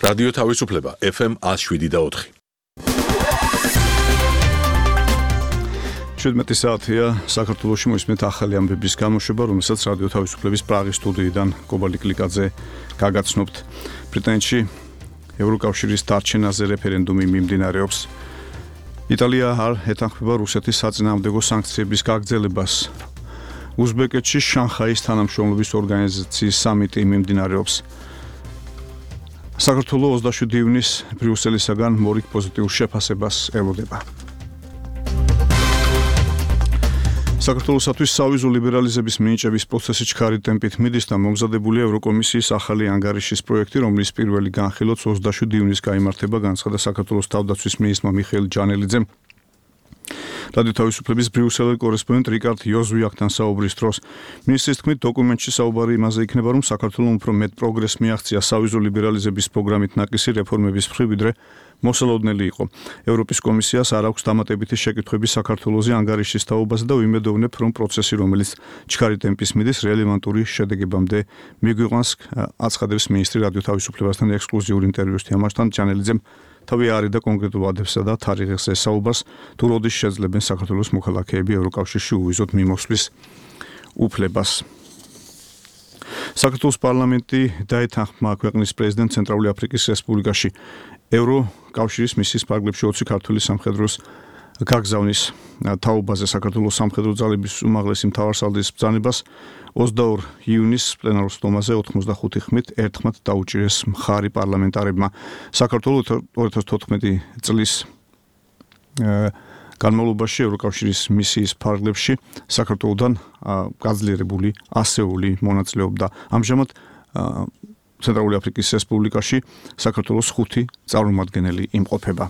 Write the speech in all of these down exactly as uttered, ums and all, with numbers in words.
რადიო თავისუფლება ეფ ემ ათს შვიდი და ოთხი. შვიდმეტი საათია საქართველოში მოისმენთ ახალი ამბების გამოშვება, რომელსაც რადიო თავისუფლების პრაღის სტუდიიდან კობალტი კლიკაძე გაგაცნობთ. ბრიტანეთში ევროკავშირის დარჩენაზე რეფერენდუმი მიმდინარეობს. იტალია არ ეთანხმება რუსეთის საწინააღმდეგო საანქციების გაგრძელებას. უზბეკეთში შანხაის თანამშრომლობის ორგანიზაციის სამიტი მიმდინარეობს. საქართველოს ოცდაშვიდი ივნის ბრიუსელისაგან მორიგ პოზიტიურ შეფასებას ელოდება. საქართველოსთვის სავიზო ლიბერალიზების მინიჭების პროცესი ჩქარი ტემპით მიდის და მომზადებულია ევროკომისიის ახალი ანგარიშის პროექტი, რომლის პირველი განხილვაც ოცდაშვიდი ივნის გაიმართება, განცხადა საქართველოს თავდაცვის მინისტრმა მიხეილ ჯანელიძემ. რადიო თავისუფლების ბრიუსელის კორესპონდენტ რიკარდ იოზვიაკთან საუბრის დროს მინისტრის თქმით, დოკუმენტში საუბარი იმაზე იქნება, რომ საქართველოს უფრო მეტ პროგრესს მიაღწია სავიზო ლიბერალიზების პროგრამით ნაკისი რეფორმების მხრივ, ვიდრე მოსალოდნელი იყო. ევროპის კომისიას არ აქვს დამატებითი შეკითხვები საქართველოზე ანგარიშის თაობაზე და ვიმედოვნებ, რომ პროცესი, რომელიც ჩქარი ტემპის მიდის, რელევანტური შედეგებამდე მიგვიყვანს, აცხადებს მინისტრი რადიო თავისუფლებასთან ექსკლუზიური ინტერვიუში თამაშთან. ჯანელიძემ თავი არიდა კონკრეტულ ვადებსა და თარიღებს ესაობას, თუ როდის შეძლებენ საქართველოს მოქალაქეები ევროკავშირში უვიზოთ მიმოსვლის უფლებას. საქართველოს პარლამენტი დაეთანხმა ქვეყნის პრეზიდენტ ცენტრალური აფრიკის რესპუბლიკაში ევროკავშირის მისიის ფარგლებში ოცი ქართული სამხედროს გაგზავნის თაობაზე. საქართველოს სამხედრო ძალების უმაღლესი მთავარსარდლის ბრძანებას ოცდაორი ივნის პლენარულ სტომაზე ოცდახუთი ხმით ერთხმად დაუჭირეს მხარი პარლამენტარებმა. საქართველოს ორი ათას თოთხმეტი წლის განმავლობაში ევროკავშირის მისიის ფარგლებში საქართველოსთან გაძლიერებული ასეული მონაწილეობდა. ამჟამად ცენტრალური აფრიკის რესპუბლიკაში საქართველოს ხუთი წარმომადგენელი იმყოფება.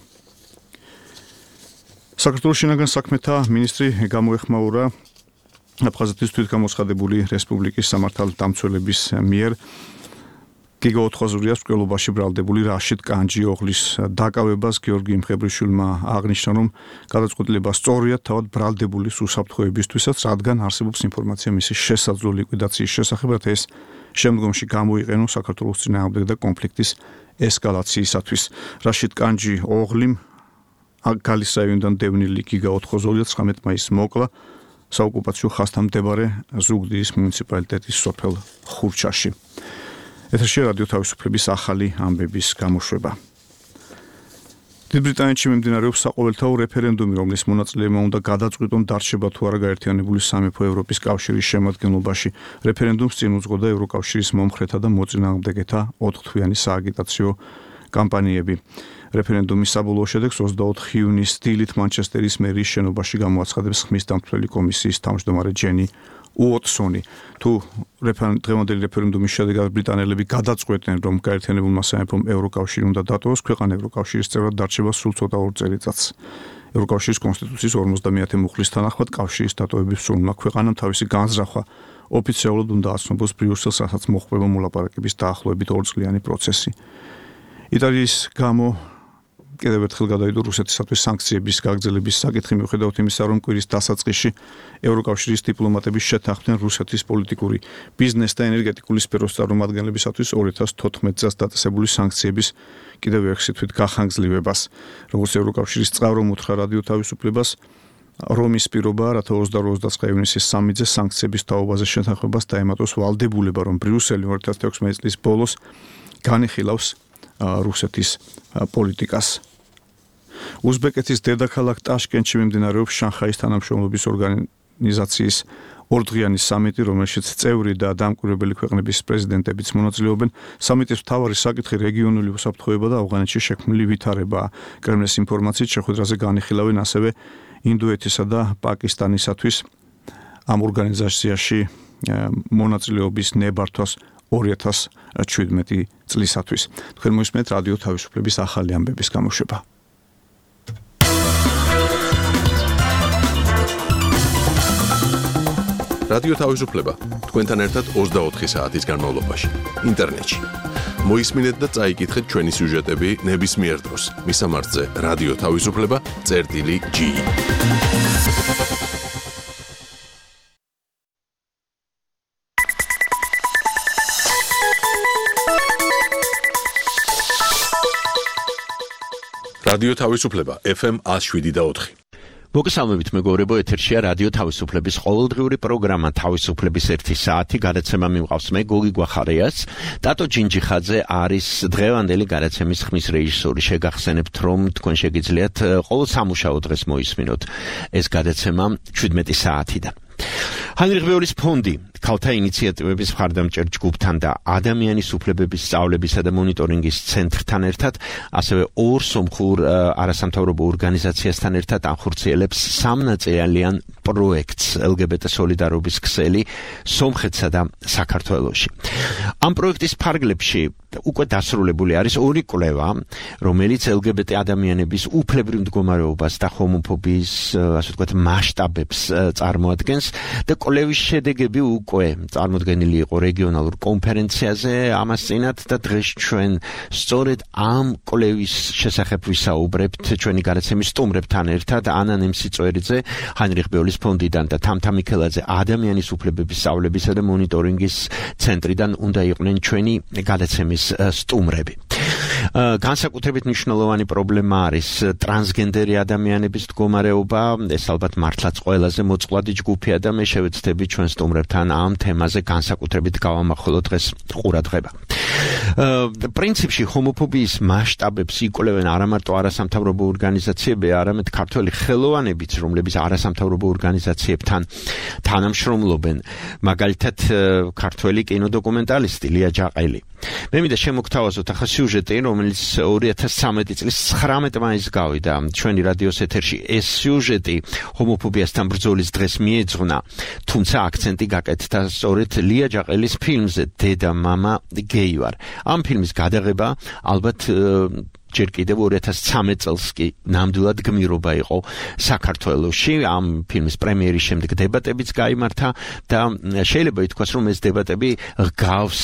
საქართველოს შინაგან საქმეთა მინისტრი გამოეხმაურა აფხაზეთის თვითგამოცხადებული რესპუბლიკის სამართალდამცველების მიერ გიგაოთხაზურიას მკვლელობაში ბრალდებული რაშიდ კანჯიოღლის დაკავებას. გიორგი მხებრიშვილმა აღნიშნა, რომ გადაწყვეტილება სწორია თავად ბრალდებულის უსაფრთხოებისთვისაც, რადგან არსებობს ინფორმაცია მისი შესაძლო ლიკვიდაციის შესახებ, რათა ეს შემდგომში გამოიყენოს საქართველოს წინააღმდეგ და კონფლიქტის ესკალაციისათვის. რაშიდ კანჯიოღლიმ აგალის რაიონიდან დევნილი გიგაოთხაზურია ცხრამეტი მაისს მოკლა საოკუპაციო ხაზთან მდებარე ზუგდიდის მუნიციპალიტეტის სოფელ ხურჩაში. ეთერში რადიო თავისუფლების ახალი ამბების გამოშვება. დიდ ბრიტანეთში მიმდინარეობს საყოველთაო რეფერენდუმი, რომლის მონაწილეებმა უნდა გადაწყვიტონ დარჩება თუ არა გაერთიანებული სამეფო ევროპის კავშირის შემადგენლობაში. რეფერენდუმს წინ უძღოდა ევროკავშირის მომხრეთა და მოწინააღმდეგეთა ოთხთვიანი სააგიტაციო კამპანიები. რეფერენდუმის საბოლოო შედეგს ოცდაოთხი ივნის დილით მანჩესტერის მერიის შენობაში გამოაცხადებს ხმის დამცველი კომისიის თავმჯდომარე ჯენი უოტსონი. თუ დღევანდელი რეფერენდუმის შედეგად ბრიტანელები გადაწყვეტენ, რომ გაერთიანებულმა სამეფომ ევროკავშირი უნდა დატოვოს, ქვეყანა ევროკავშირის წევრად დარჩება სულ ცოტა ორ წელიწადს. ევროკავშირის კონსტიტუციის ორმოცდამეათე მუხლის თანახმად კავშირის დატოვების სურვილმა ქვეყანამ თავისი განზრახვა ოფიციალურად უნდა აცნობოს ბრიუსელს, რასაც მოჰყვება მოლაპარაკების დაახლოებით ორწლიანი პროცესი. იტალიის გამო კიდევ ერთხელ გადაიდო რუსეთისათვის საანქციების გაგრძელების საკითხი, მიუხედავად იმისა, რომ კვირის დასაწყისში ევროკავშირის დიპლომატები შეთანხმდნენ რუსეთის პოლიტიკური, ბიზნეს და ენერგეტიკული სფეროს წარმომადგენლებისათვის ორი ათას თოთხმეტ წელს დაწესებული საანქციების კიდევ ერთი თვით გახანგრძლივებას. როგორც ევროკავშირის წყარო უთხრა რადიო თავისუფლებას, რომის პირობაა, რათა ოცდაორი ოცდაცხრა ივნისის სამიძე საანქციების თაობაზე შეთანხმებას დაემატოს ვალდებულება, რომ ბრიუსელი ორი ათას თექვსმეტი წლის ბოლოს განიხილავს რუსეთის პოლიტიკას. უზბეკეთის დედაქალაქ ტაშკენტში მიმდინარეობს შანხაის თანამშრომლობის ორგანიზაციის ორდღიანი სამიტი, რომელშიც წევრი და დამკვირვებელი ქვეყნების პრეზიდენტებიც მონაწილეობენ. სამიტის მთავარი საკითხი რეგიონული უსაფრთხოება და ავღანეთში შექმნილი ვითარებაა. კრემლის ინფორმაციით შეხვედრაზე განიხილავენ ასევე ინდოეთისა და პაკისტანისათვის ამ ორგანიზაციაში მონაწილეობის ნებართვას ორი ათას შვიდმეტი წლისათვის. თქვენ მოისმენთ რადიო თავისუფლების ახალი ამბების გამოშვება. რადიო თავისუფლება თქვენთან ერთად ოცდაოთხი საათის განმავლობაში ინტერნეტში. მოისმინეთ და წაიკითხეთ ჩვენი სიუჟეტები ნებისმიერ დროს. მისამართზე რადიო თავისუფლება წერტილი ჯი. რადიო თავისუფლება ეფ ემ one oh seven point four. მოგესალმებით მეგობრებო, ეთერშია რადიო თავისუფლების ყოველდღიური პროგრამა თავისუფლების ერთი საათი. გადაცემა მიმყავს მე გოგი გვახარიას. ტატო ჯინჯიხაძე არის დღევანდელი გადაცემის ხმის რეჟისორი. შეგახსენებთ, რომ თქვენ შეგიძლიათ ყოველ სამუშაო დღეს მოისმინოთ ეს გადაცემა შვიდმეტი საათიდან. ჰაინრიხ ბეულის ფონდი ქალთა ინიციატივების მხარდამჭერ ჯგუფთან და ადამიანის უფლებების სწავლებისა და მონიტორინგის ცენტრთან ერთად, ასევე ორ სომხურ არასამთავრობო ორგანიზაციასთან ერთად ახორციელებს სამნაწილიან პროექტს ელ გი ბი ტი სოლიდარობის ქსელი სომხეთსა და საქართველოში. ამ პროექტის ფარგლებში უკვე დასრულებული არის ორი კვლევა, რომელიც ელ გი ბი ტი ადამიანების უფლებრივ მდგომარეობას და ჰომოფობიის, ასე ვთქვათ, მასშტაბებს წარმოადგენს და კვლევის შედეგები უკვე წარმოდგენილი იყო რეგიონალურ კონფერენციაზე ამას წინათ და დღეს ჩვენ სწორედ ამ კვლევის შესახებ ვისაუბრებთ ჩვენი გადაცემის სტუმრებთან ერთად. ანა ნემსიწვერიძე ჰაინრიხ ბეულის ფონდიდან და თამთა მიქელაძე ადამიანის უფლებების სწავლებისა და მონიტორინგის ცენტრიდან უნდა იყვნენ ჩვენი გადაცემის სტუმრები. განსაკუთრებით მნიშვნელოვანი პრობლემა არის ტრანსგენდერი ადამიანების მდგომარეობა. ეს ალბათ მართლაც ყველაზე მოწყვლადი ჯგუფია და მე შევეცდები ჩვენ სტუმრებთან ამ თემაზე განსაკუთრებით გავამახვილოთ დღეს ყურადღება. პრინციპში ჰომოფობიის მასშტაბებს იკვლევენ არა მარტო არასამთავრობო ორგანიზაციები, არამედ ქართველი ხელოვანებიც, რომლებიც არასამთავრობო ორგანიზაციებთან თანამშრომლობენ. მაგალითად, ქართველი კინოდოკუმენტალისტი ლია ჯაყელი. მე მინდა შემოგთავაზოთ ახლა სიუჟეტი, რომელიც ორი ათას ცხრამეტი წლის ცხრამეტ მაისს გავიდა ჩვენი რადიოს ეთერში. ეს სიუჟეტი ჰომოფობიასთან ბრძოლის დღეს მიეძღვნა, თუმცა აქცენტი გაკეთდა სწორედ ლია ჯაყელის ფილმზე დედა მამა გეი ვარ. ამ ფილმის გადაღება ალბათ ჯერ კიდევ ორი ათას ცხრამეტ წელს კი ნამდვილად გმირობა იყო საქართველოში. ამ ფილმის პრემიერის შემდეგ დებატებიც გაიმართა და შეიძლება ითქვას, რომ ეს დებატები გავს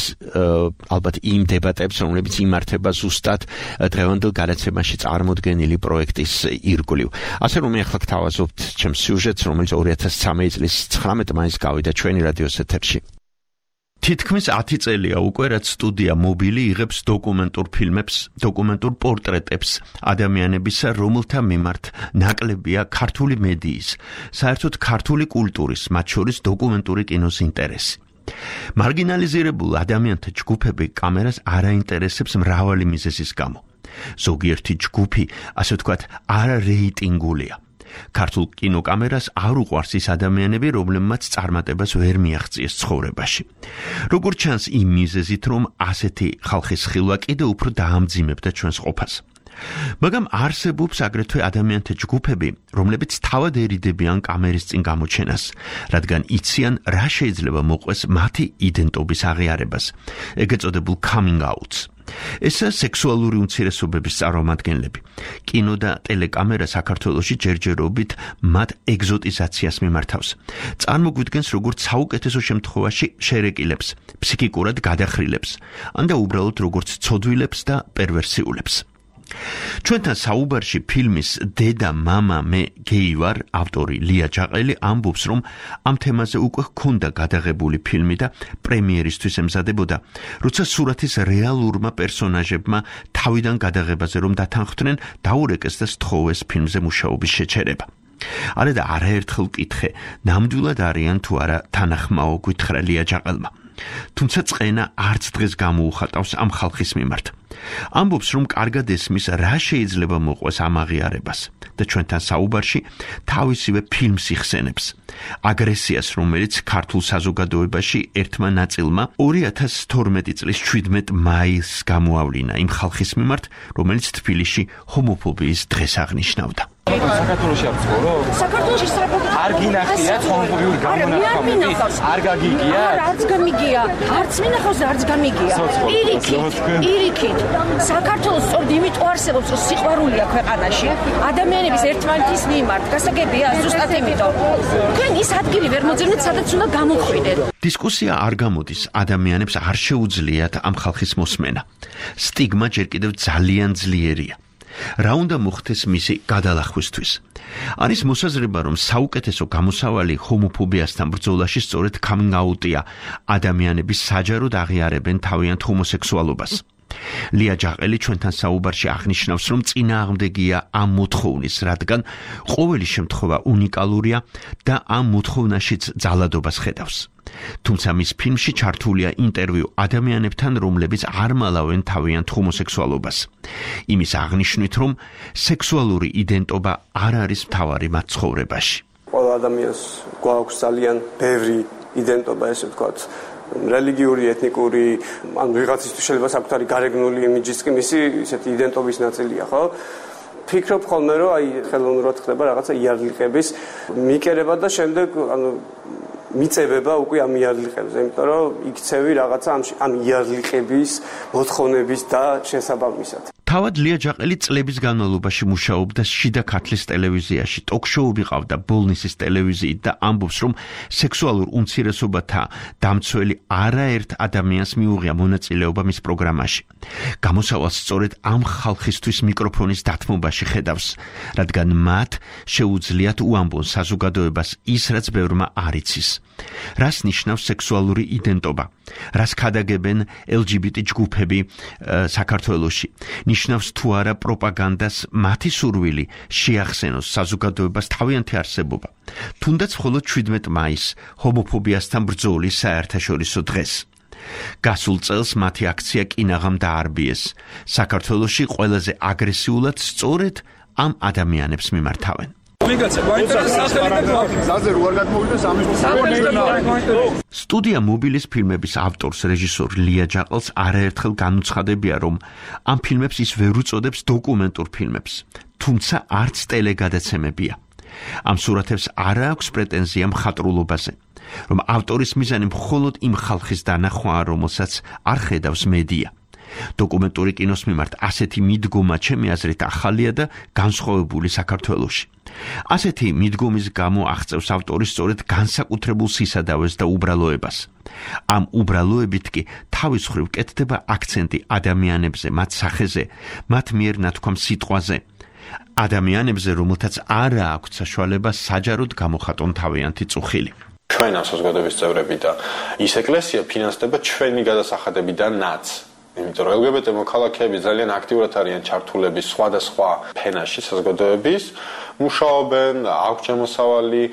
ალბათ იმ დებატებს, რომლებიც იმართება ზუსტად დღევანდელ გადაცემაში წარმოდგენილი პროექტის ირგვლივ. ასე რომ მე ახლა გთავაზობთ ჩემს სიუჟეტს, რომელიც ორი ათას ცხრამეტი წლის ცხრამეტ მაისს გავიდა ჩვენი რადიოს ეთერში. თითქმის ათი წელია უკვე, რაც სტუდია მობილი იღებს დოკუმენტურ ფილმებს, დოკუმენტურ პორტრეტებს ადამიანებისა, რომელთა მიმართ ნაკლებია ქართული მედიის, საერთოდ ქართული კულტურის, მათ შორის დოკუმენტური კინოს ინტერესი. მარგინალიზირებულ ადამიანთა ჯგუფები კამერას არ აინტერესებს მრავალი მიზეზის გამო. ზოგიერთი ჯგუფი, ასე ვთქვათ, არარეიტინგულია. ქართულ კინოკამერას არ უყვარს ის ადამიანები, რომლებმაც წარმატებას ვერ მიაღწიეს ცხოვრებაში. როგორც ჩანს, იმ მიზეზით, რომ ასეთი ხალხის ხილვა კიდევ უფრო დაამძიმებდა ჩვენს ყოფას. მაგრამ არსებობს აგრეთვე ადამიანთა ჯგუფები, რომლებიც თავად ერიდებიან კამერის წინ გამოჩენას, რადგან იციან, რა შეიძლება მოყვეს მათი იდენტობის აღიარებას, ეგ ეწოდებულ coming outs. ესა სექსუალური უმცირესობების წარმომადგენლები. კინო და ტელეკამერა საქართველოში ჯერჯერობით მათ ეგზოტიზაციას მიმართავს. წარმოგვიდგენს როგორც საუკეთესო შემთხვევაში შერეკილებს, ფსიქიკურად გადახრილებს, ან და უბრალოდ როგორც ცოდვილებს და პერვერსიულებს. ჩვენთან საუბარში ფილმის დედა მამა მე გეი ვარ ავტორი ლია ჯაყელი ამბობს, რომ ამ თემაზე უკვე ჰქონდა გადაღებული ფილმი და პრემიერისთვის ემზადებოდა, როცა სურათის რეალურმა პერსონაჟებმა თავიდან გადაღებაზე რომ დათანხმდნენ, დაურეკეს და სთხოვეს ფილმზე მუშაობის შეჩერება. არა და არაერთხელ კითხე, ნამდვილად არიან თუ არა თანახმაო, გითხრა ლია ჯაყელმა. თუმცა წყენა არც დღეს გამოუხატავს ამ ხალხის მიმართ. ამბობს, რომ კარგად ესმის, რა შეიძლება მოყვეს ამ აღიარებას და ჩვენთან საუბარში თავისივე ფილმს იხსენებს. აგრესიას, რომელიც ქართულ საზოგადოებაში ერთმა ნაწილმა ორი ათას თორმეტი წლის შვიდმეტ მაისს გამოავლინა იმ ხალხის მიმართ, რომელიც თბილისში ჰომოფობიის დღეს აღნიშნავდა. საქართველოში არ ცხოვრო? საქართველოში საერთოდ არ გინახიათ ჰომოფობიური გამონათქვამები? არ გაგიგია? არც გამიგია, არც მინახავს და არც გამიგია. პირიქით, პირიქით. საქართველოს სწორედ იმიტომ არსებობს, რომ სიყვარული აქვს ქვეყანაში, ადამიანების ერთმანეთის მიმართ. გასაგებია, ზუსტად იმიტომ. თქვენ ის ადგილი ვერ მოძებნეთ, სადაც უნდა გამოხვიდეთ. დისკუსია არ გამოდის, ადამიანებს არ შეუძლიათ ამ ხალხის მოსმენა. სტიგმა ჯერ კიდევ ძალიან ძლიერია. რა უნდა მოხდეს მისი გადალახვისთვის? არის მოსაზრება, რომ საუკეთესო გამოსავალი ჰომოფობიასთან ბრძოლაში სწორედ coming out-ია. ადამიანები საჯაროდ აღიარებენ თავიანთ ჰომოსექსუალობას. ლია ჯაყელი ჩვენთან საუბარში აღნიშნავს, რომ წინააღმდეგია ამ მოთხოვნის, რადგან ყოველი შემთხვევა უნიკალურია და ამ მოთხოვნაშიც ძალადობას ხედავს. თუმცა მის ფილმში ჩართულია ინტერვიუ ადამიანებთან, რომლებიც არ მალავენ თავიანთ ჰომოსექსუალობას. იმის აღნიშვნით, რომ სექსუალური იდენტობა არ არის მთავარი მათ ცხოვრებაში. ყველა ადამიანს გვაქვს ძალიან ბევრი იდენტობა, ესე ვთქვათ, რელიგიური, ეთნიკური, ან ვიღაცისთვის შეიძლება საკუთარი გარეგნული იმიჯიც კი მისი ისეთი იდენტობის ნაწილია, ხო? ფიქრობ ხოლმე, რომ აი ხელოვნურად ხდება რაღაცა იარლიყების მიკერება და შემდეგ ანუ მიწებება უკვე ამ იარლიყებზე, იმიტომ რომ იქცევი რაღაცა ამ იარლიყების მოთხოვნების და შესაბამისად. თავად ლია ჯაყელი წლების განმავლობაში მუშაობდა შიდა ქართლის ტელევიზიაში, ტოქ-შოუები ყავდა ბოლნისის ტელევიზიით და ამბობს, რომ სექსუალურ უმცირესობათა დამცველი არაერთ ადამიანს მიუღია მონაწილეობა მის პროგრამაში. გამოსავალს სწორედ ამ ხალხისთვის მიკროფონის დათმობაში ხედავს, რადგან მათ შეუძლიათ უამბონ საზოგადოებას ის, რაც ბევრმა არ იცის. რას ნიშნავს სექსუალური იდენტობა? რას ქადაგებენ ელ ჯი ბი ტი ჯგუფები საქართველოში? ნიშნავს თუ არა პროპაგანდას მათი სურვილი შეახსენოს საზოგადოებას თავიანთი არსებობა. თუნდაც მხოლოდ შვიდმეტ მაისს ჰომოფობიასთან ბრძოლის საერთაშორისო დღეს. გასულ წელს მათი აქცია კინაღამ დაარბიეს. საქართველოში ყველაზე აგრესიულად სწორედ ამ ადამიანებს მიმართავენ. სტუდია მობილის ფილმების ავტორს რეჟისორ ლია ჯაყელს არაერთხელ განუცხადებია, რომ ამ ფილმებს ის ვერ უწოდებს დოკუმენტურ ფილმებს, თუმცა არც ტელეგადაცემებია. ამ სურათებს არ აქვს პრეტენზია მხატვრულობაზე, რომ ავტორის მიზანი მხოლოდ იმ ხალხის დანახვაა, რომელსაც არ ხედავს მედია. დოკუმენტური კინოს მიმართ ასეთი მიდგომა ჩემი აზრით ახალია და განსხვავებული საქართველოში. ასეთი მიდგომის გამო აღწევს ავტორი სწორედ განსაკუთრებულ სისადავეს და უბრალოებას. ამ უბრალოებით კი თავის მხრივ კეთდება აქცენტი ადამიანებზე, მათ სახეზე, მათ მიერ ნათქვამ სიტყვაზე. ადამიანებზე, რომელთაც არ აქვთ საშუალება საჯაროდ გამოხატონ თავიანთი წუხილი. ჩვენ ამ საზოგადოების წევრები და ის ეკლესია ფინანსდება ჩვენი გადასახადებიდანაც. იმიტომ რომ ელ ჯი ბი ტი მოქალაქეები ძალიან აქტიურად არიან ჩართულები სხვადასხვა ფენაში საზოგადოების, მუშაობენ, აქვს შემოსავალი,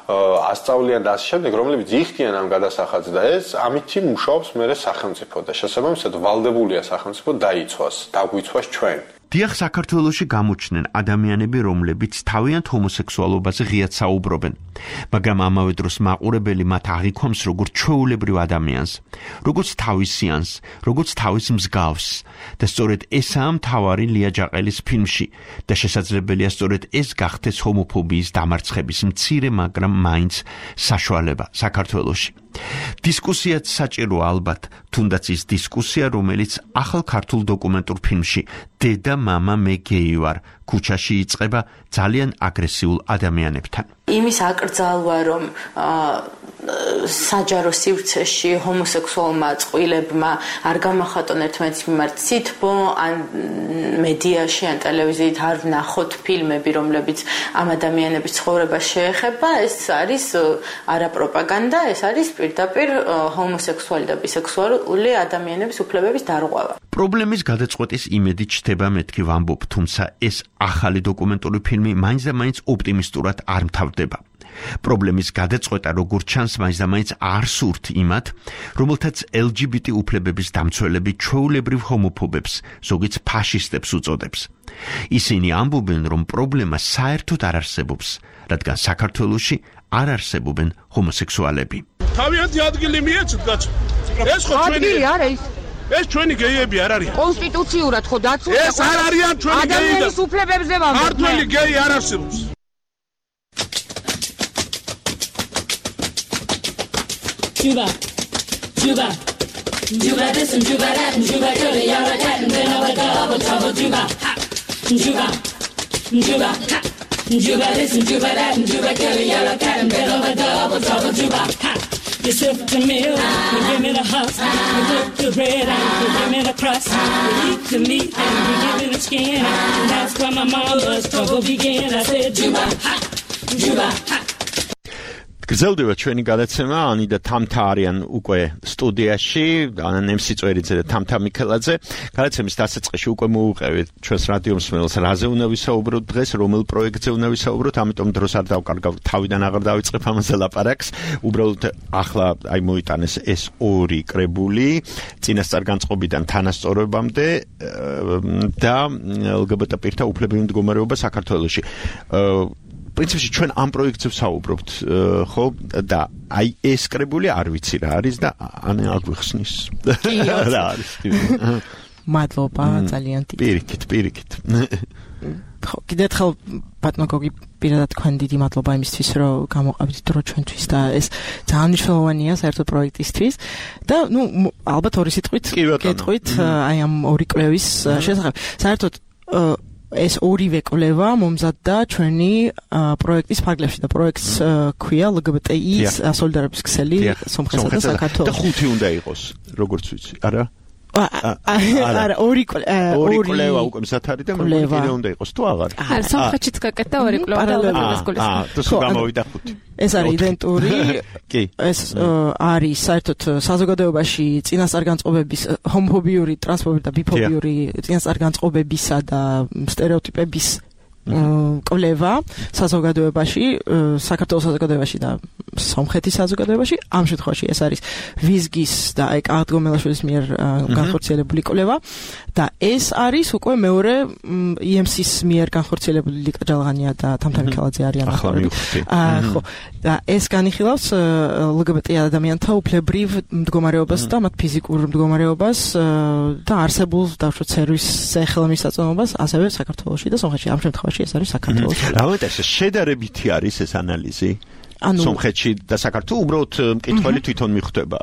ასწავლიან და ასე შემდეგ, რომლებიც იხდიან ამ გადასახადს და ეს ამითი მუშაობს მერე სახელმწიფო და შესაბამისად ვალდებულია სახელმწიფო დაიცვას, დაგვიცვას ჩვენ. დიახ, საქართველოში გამოჩნდნენ ადამიანები, რომლებიც თავიანთ ჰომოსექსუალობაზე ღიად საუბრობენ, მაგრამ ამავე დროს მაყურებელი მათ აღიქვამს როგორც ჩვეულებრივ ადამიანს, როგორც თავისიანს, როგორც თავის მსგავს და სწორედ ესაა მთავარი ლია ჯაყელის ფილმში და შესაძლებელია სწორედ ეს გახდეს ჰომოფობიის დამარცხების მცირე, მაგრამ მაინც საშუალება საქართველოში. დისკუსიაც საჭირო ალბათ, თუნდაც ის დისკუსია, რომელიც ახალ ქართულ დოკუმენტურ ფილმში დედა მამა მე გეი ვარ ქუჩაში იწყება ძალიან აგრესიულ ადამიანებთან. იმის აკრძალვა, რომ საჯარო სივრცეში ჰომოსექსუალმა წყვილებმა არ გამახატონ ერთმანეთის მიმართ სითბო, ან მედიაში, ან ტელევიზიით არ ვნახოთ ფილმები, რომლებიც ამ ადამიანების ცხოვრებას შეეხება, ეს არის არა პროპაგანდა, ეს არის პირდაპირ ჰომოსექსუალი და ბისექსუალი ადამიანების უფლებების დარღვევა. პრობლემის გადაწყვეტის იმედით ჩდება მეთქი ვამბობ, თუმცა ეს ახალი დოკუმენტური ფილმი მაინც და მაინც ოპტიმისტურად არ მთავრდება. პრობლემის გადაწყვეტა როგორც ჩანს მაინც და მაინც არ სურთ იმათ, რომელთაც ელ ჯი ბი ტი უფლებების დამცველები ჩვეულებრივ ჰომოფობებს, ზოგიც ფაშისტებს უწოდებს. ისინი ამბობენ, რომ პრობლემა საერთოდ არ არსებობს, რადგან საქართველოში არ არსებობენ ჰომოსექსუალები. თავიანთი ადგილი მიეცეთ კაცო. ეს ხო ჩვენი ადგილი არა ის. ეს ჩვენი გეიები არ არიან. კონსტიტუციურად ხო დაცულია. ეს არ არიან ჩვენი გეიები. ადამიანის უფლებებზე ვამბობ. ქართველი გეი არ არსებობს. Juba, Juba, Juba this and Juba that and Juba girl, you're a cat and then I would double trouble Juba, ha, Juba, Juba, ha, Juba this and Juba that and Juba girl, you're a cat and then I would double trouble Juba, ha. You sip the milk, you give me the husk, you cook the bread and you give me the crust, you eat the meat and you give me the skin, and that's where my mama's trouble began. I said Juba, ha, Juba, ha. გრძელდება ჩვენი გადაცემა, ანი და თამთა არიან უკვე სტუდიაში, ანა ნემსიწვერიძე და თამთა მიქელაძე. გადაცემის დასაწყისში უკვე მოუყევით ჩვენს რადიო მსმენელს, რაზე უნდა ვისაუბროთ დღეს, რომელ პროექტზე უნდა ვისაუბროთ, ამიტომ დროს არ დავკარგავ, თავიდან აღარ დავიწყებ ამაზე ლაპარაკს. უბრალოდ ახლა აი მოიტანეს ეს ორი კრებული, წინასწარ განწყობიდან თანასწორობამდე და ელ გი ბი ტი პირთა უფლებრივი მდგომარეობა საქართველოში. პრინციპში ჩვენ ამ პროექტზე ვსაუბრობთ, ხო? და აი ეს კრებული არ ვიცი რა არის და ანა აგვიხსნის. რა არის? მადლობა, ძალიან დიდი. პირიქით, პირიქით. ხო, კიდევ ხელ ბატონო გოგი პირადად თქვენ დიდი მადლობა იმისთვის, რომ გამოყავით დრო ჩვენთვის და ეს ძალიან მნიშვნელოვანია საერთოდ პროექტისთვის და ნუ ალბათ ორი სიტყვით გეტყვით აი ამ ორი კვლევის შესახებ. საერთოდ ეს ორივე კვლევა მომზადდა ჩვენი პროექტის ფარგლებში და პროექტს ქვია ელ გი ბი ტი ის სოლიდარობის ქსელი სომხეთსა და საქართველოში. და ხუთი უნდა იყოს, როგორც ვიცი, არა? არა, ორი ორი კვლევა უკვე მზად არის და მეორე უნდა იყოს თუ აღარ? არა, სომხეთშიც გაკეთდა ორი კვლევა და ალბათ გულისხმობს. აა, თუ გამოვიდა ხუთი. ეს არის იდენტური. კი. ეს არის საერთოდ საზოგადოებაში წინასწარ განწყობების, ჰომოფობიური, ტრანსფობიური და ბიფობიური წინასწარ განწყობებისა და სტერეოტიპების კვლევა საზოგადოებაში, საქართველოს საზოგადოებაში და სომხეთის საზოგადოებაში. ამ შემთხვევაში ეს არის ვიზგის და აი კახეთ გომელაშვილის მიერ განხორციელებული კვლევა და ეს არის უკვე მეორე ი ემ სის მიერ განხორციელებული ლიკა ჯალღანია და თამთა მიქელაძე არიან ახლა. ხო, და ეს განიხილავს ელ გი ბი ტი ადამიანთა უფლებრივ მდგომარეობას და მათ ფიზიკურ მდგომარეობას და არსებულ დავშვათ სერვისზე ხელმისაწვდომობას ასევე საქართველოში და სომხეთში. ამ შემთხვევაში ეს არის საქართველოს. რა შედარებითი არის ეს ანალიზი? სომხეთში და საქართველოს უბრალოდ მკითხველი თვითონ მიხვდება.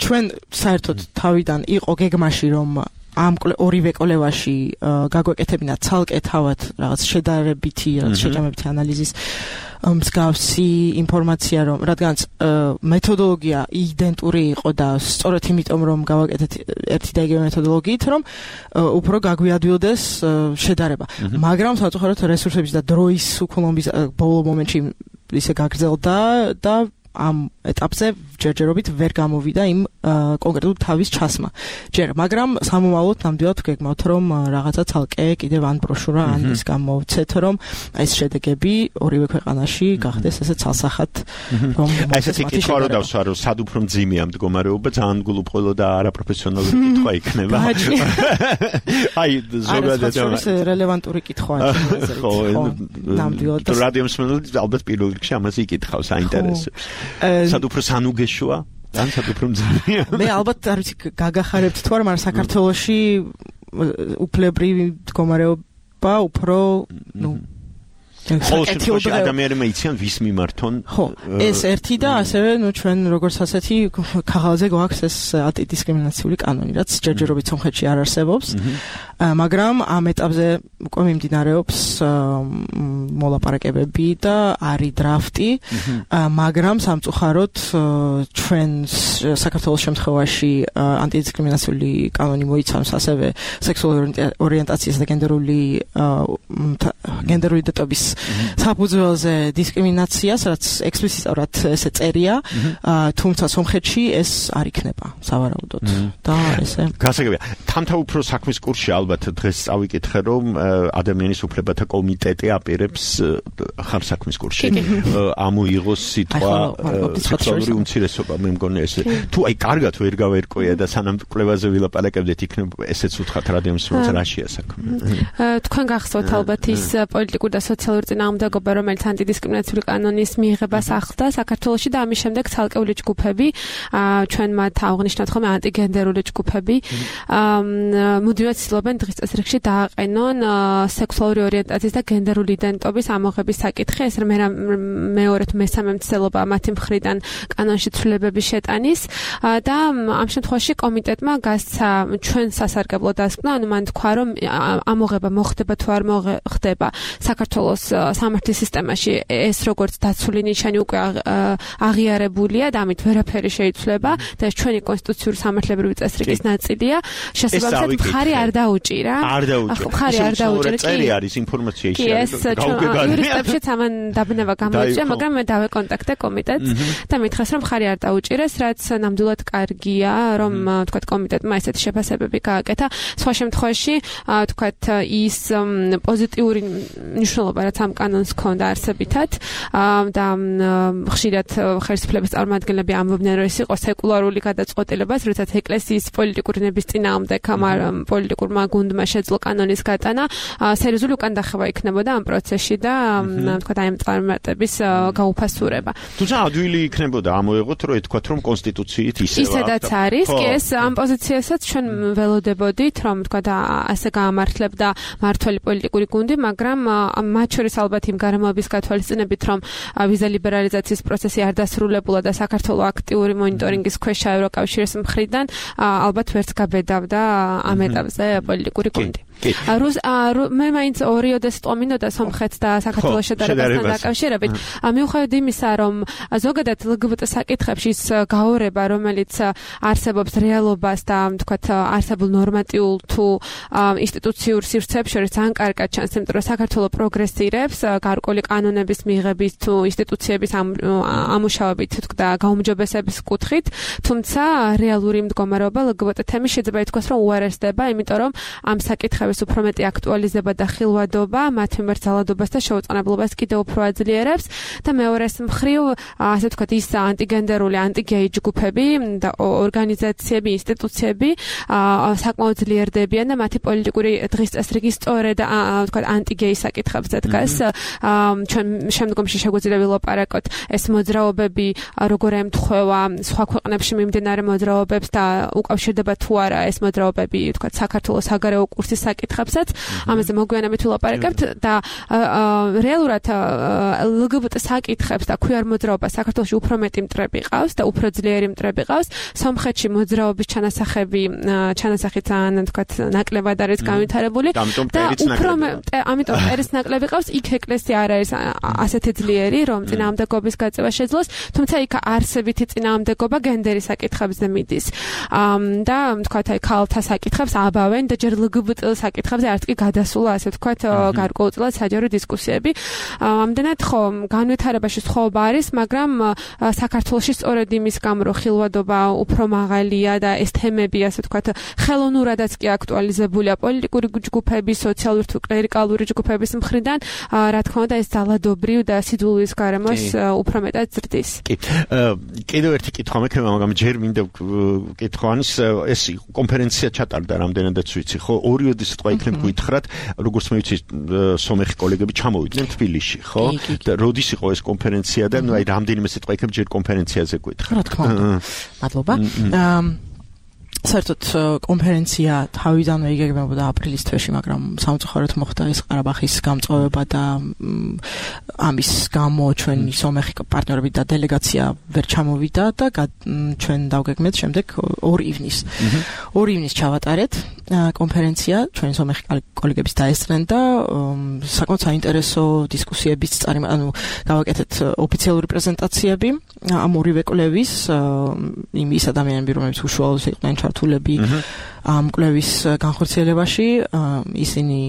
ჩვენ საერთოდ თავიდან იყო გეგმაში რომ ამ ორივე კვლევაში გაგვეკეთებინა ცალკე თავად რაღაც შედარებითი, რაღაც შეჭამებითი ანალიზის მსგავსი ინფორმაცია, რომ რადგანაც მეთოდოლოგია იდენტური იყო და სწორედ იმიტომ რომ გავაკეთეთ ერთი და იგივე მეთოდოლოგიით, რომ უფრო გაგვიადვილდეს შედარება. მაგრამ საერთოდ რესურსების და დროის უქონლობის ბოლო მომენტში ისე გაგრძელდა და ამ ეტაპზე ჯერჯერობით ვერ გამოვიდა იმ კონკრეტულ თავის ჩასმა. ჯერ, მაგრამ სამომავლოდ ნამდვილად ვგეგმავთ, რომ რაღაცა ცალკე კიდევ ან ბროშურა ან ის გამოვცეთ, რომ ეს შედეგები ორივე ქვეყანაში გახდეს ესე ცალსახად, რომ ესეთი კითხვა რო დავსვა, რომ სად უფრო მძიმეა მდგომარეობა, ძალიან გულუბრყვილო და არაპროფესიონალური კითხვა იქნება. აი, ზოგადად ეს რელევანტური კითხვაა. ხო, ნამდვილად. რადიო მსმენელი ალბათ პირველ რიგში ამაზე იკითხავს, აინტერესებს. სად უფრო სანუგეშოა? ან სად უფრო მძიმეა? მე ალბათ არ ვიცი გაგახარებთ თუ არა, მაგრამ საქართველოში უფლებრივი მდგომარეობა უფრო, ნუ ყოველთვის ადამიანებმა იციან ვის მიმართონ. ხო, ეს ერთი და ასევე ნუ ჩვენ როგორც ასეთი ქაღალდზე გვაქვს ეს ანტიდისკრიმინაციული კანონი, რაც ჯერჯერობით სომხეთში არ არსებობს. მაგრამ ამ ეტაპზე უკვე მიმდინარეობს მოლაპარაკებები და არის დრაფტი, მაგრამ სამწუხაროდ ჩვენ საქართველოს შემთხვევაში ანტიდისკრიმინაციული კანონი მოიცავს ასევე სექსუალური ორიენტაციის და გენდერული გენდერული იდენტობის საფუძველზე დისკრიმინაციას, რაც ექსპლიციტურად ესე წერია, თუმცა სომხეთში ეს არ იქნება სავარაუდოდ. და ესე გასაგებია. თამთა უფრო საქმის კურსში ალბათ დღეს წავიკითხე, რომ ადამიანის უფლებათა კომიტეტი აპირებს ხარ საქმის კურსში. ამოიღოს სიტყვა სექსუალური უმცირესობა, მე მგონი ესე. თუ აი კარგად ვერ გავერკვია და სანამ კვლევაზე ვილაპარაკებდეთ, იქნება ესეც უთხრათ რადიო მსმენელს რაშია საქმე. თქვენ გახსოვთ ალბათ ის პოლიტიკური და სოციალური წინააღმდეგობა, რომელიც ანტიდისკრიმინაციული კანონის მიღებას ახლდა საქართველოში და ამის შემდეგ ცალკეული ჯგუფები, ჩვენ მათ აღნიშნავთ ხოლმე ანტიგენდერული ჯგუფები, მუდმივად ცდილობენ დღის წესრიგში დააყენონ სექსუალური ორიენტაციის და გენდერული იდენტობის ამოღების საკითხი, ეს მეორე თუ მესამე მცდელობა მათი მხრიდან კანონში ცვლილებების შეტანის და ამ შემთხვევაში კომიტეტმა გასცა ჩვენ სასარგებლო დასკვნა, ანუ მან თქვა, რომ ამოღება მოხდება თუ არ მოხდება საქართველოს სამართლის სისტემაში ეს როგორც დაცული ნიშანი უკვე აღიარებულია და ამით ვერაფერი შეიცვლება და ეს ჩვენი კონსტიტუციური სამართლებრივი წესრიგის ნაწილია. შესაბამისად მხარი არ დაუჭირა. არ დაუჭირა. მხარი არ დაუჭირა. წერი არის ინფორმაცია ისე არის. იურისტებშიც ამან დაბნება გამოიწვია, მაგრამ მე დავეკონტაქტე კომიტეტს და მითხრეს რომ მხარი არ დაუჭირეს, რაც ნამდვილად კარგია, რომ თქვათ კომიტეტმა ესეთი შეფასებები გააკეთა. სხვა შემთხვევაში თქვათ ის პოზიტიური მნიშვნელობა რაც ამ კანონს ჰქონდა არსებითად და ხშირად ხელისუფლების წარმომადგენლები ამბობდნენ რომ ეს იყო სეკულარული გადაწყვეტილებას, როდესაც ეკლესიის პოლიტიკური ნების წინააღმდეგ პოლიტიკურმა გუნდმა შეძლო კანონის გატანა, სერიოზული უკან დახევა იქნებოდა ამ პროცესში და თქვათ აი ამ წარმატების გაუფასურება. თუმცა ადვილი იქნებოდა ამოეღოთ რომ ეთქვათ რომ კონსტიტუციით ისევ ისედაც არის, კი ეს ამ პოზიციასაც ჩვენ ველოდებოდით რომ თქვათ ასე გაამართლებდა მართველი პოლიტიკური გუნდი, მაგრამ მათ შორის ალბათ იმ გარემოების გათვალისწინებით რომ ვიზა ლიბერალიზაციის პროცესი არ დასრულებულა და საქართველოს აქტიური მონიტორინგის ქვეშა ევროკავშირის მხრიდან ალბათ ვერც გაბედავდა ამ ეტაპზე პოლიტიკური გუნდი. რუს მე მაინც ორიოდე სიტყვა მინდოდა სომხეთს და საქართველოს შედარებასთან დაკავშირებით. მიუხედავად იმისა, რომ ზოგადად ლგბტ საკითხებში ის გაორება, რომელიც არსებობს რეალობას და თქვათ არსებულ ნორმატიულ თუ ინსტიტუციურ სივრცეებს შორის ძალიან კარგად ჩანს, იმიტომ რომ საქართველოს პროგრესირებს გარკვეული კანონების მიღების თუ ინსტიტუციების ამუშავებით და გაუმჯობესების კუთხით, თუმცა რეალური მდგომარეობა ლგბტ თემის შეიძლება ითქვას, რომ უარესდება, იმიტომ რომ ამ საკითხებში უფრო მეტი აქტუალიზება და ხილვადობა მათ მიმართ ძალადობას და შეუწყნებლობას კიდევ უფრო აძლიერებს და მეორეს მხრივ ასე ვთქვათ ის ანტიგენდერული ანტიგეი ჯგუფები და ორგანიზაციები, ინსტიტუციები საკმაოდ ძლიერდებიან და მათი პოლიტიკური დღის წესრიგი სწორედ ვთქვათ ანტიგეი საკითხებზე დგას. ჩვენ შემდგომში შეგვიძლია ვილაპარაკოთ ეს მოძრაობები როგორ ემთხვევა სხვა ქვეყნებში მიმდინარე მოძრაობებს და უკავშირდება თუ არა ეს მოძრაობები ვთქვათ საქართველოს საგარეო კურსის საკითხებსაც, ამაზე მოგვიანებით ვილაპარაკებთ და რეალურად ლგბტ საკითხებს და ქვიარ მოძრაობას საქართველოში უფრო მეტი მტრები ყავს და უფრო ძლიერი მტრები ყავს. სომხეთში მოძრაობის ჩანასახები, ჩანასახი ძალიან თქვათ ნაკლებად არის განვითარებული და უფრო ამიტომ პერის ნაკლები ყავს, იქ ეკლესია არ არის ასეთი ძლიერი, რომ წინააღმდეგობის გაწევა შეძლოს, თუმცა იქ არსებითი წინააღმდეგობა გენდერის საკითხებზე მიდის. და თქვათ აი ქალთა საკითხებს აბავენ და ჯერ ლგბტ საკითხებზე არც კი გადასულა ასე ვთქვათ გარკვეულწილად საჯარო დისკუსიები. ამდენად ხო განვითარებაში სხვაობა არის, მაგრამ საქართველოში სწორედ იმის გამო რომ ხილვადობა უფრო მაღალია და ეს თემები ასე ვთქვათ ხელოვნურადაც კი აქტუალიზებულია პოლიტიკური ჯგუფების, სოციალური თუ კლერიკალური ჯგუფების მხრიდან, რა თქმა უნდა ეს ძალადობრივ და სიძულვის გარემოს უფრო მეტად ზრდის. კი. კიდევ ერთი კითხვა მექნება, მაგრამ ჯერ მინდა კითხვანის ეს კონფერენცია ჩატარდა რამდენადაც ვიცი, ხო? ორიოდე სიტყვა იქნებ გითხრათ, როგორც მე ვიცი, სომეხი კოლეგები ჩამოვიდნენ თბილისში, ხო? და როდის იყო ეს კონფერენცია და ნუ აი რამდენიმე სიტყვა იქნებ ჯერ კონფერენციაზე გითხრათ. რა თქმა უნდა. მადლობა. საერთოდ კონფერენცია თავიდანვე იგეგმებოდა აპრილის თვეში, მაგრამ სამწუხაროდ მოხდა ეს ყარაბაღის გამწვავება და ამის გამო ჩვენი სომეხი პარტნიორები და დელეგაცია ვერ ჩამოვიდა და ჩვენ დავგეგმეთ შემდეგ ორ ივნის. ორ ივნის ჩავატარეთ კონფერენცია, ჩვენი სომეხი კოლეგების დაესწრნენ და საკმაოდ საინტერესო დისკუსიების წარი, ანუ გავაკეთეთ ოფიციალური პრეზენტაციები ამ ორივე კვლევის იმ ის ადამიანები, რომლებიც უშუალოდ იყვნენ ჩართულები ამ კვლევის განხორციელებაში, ისინი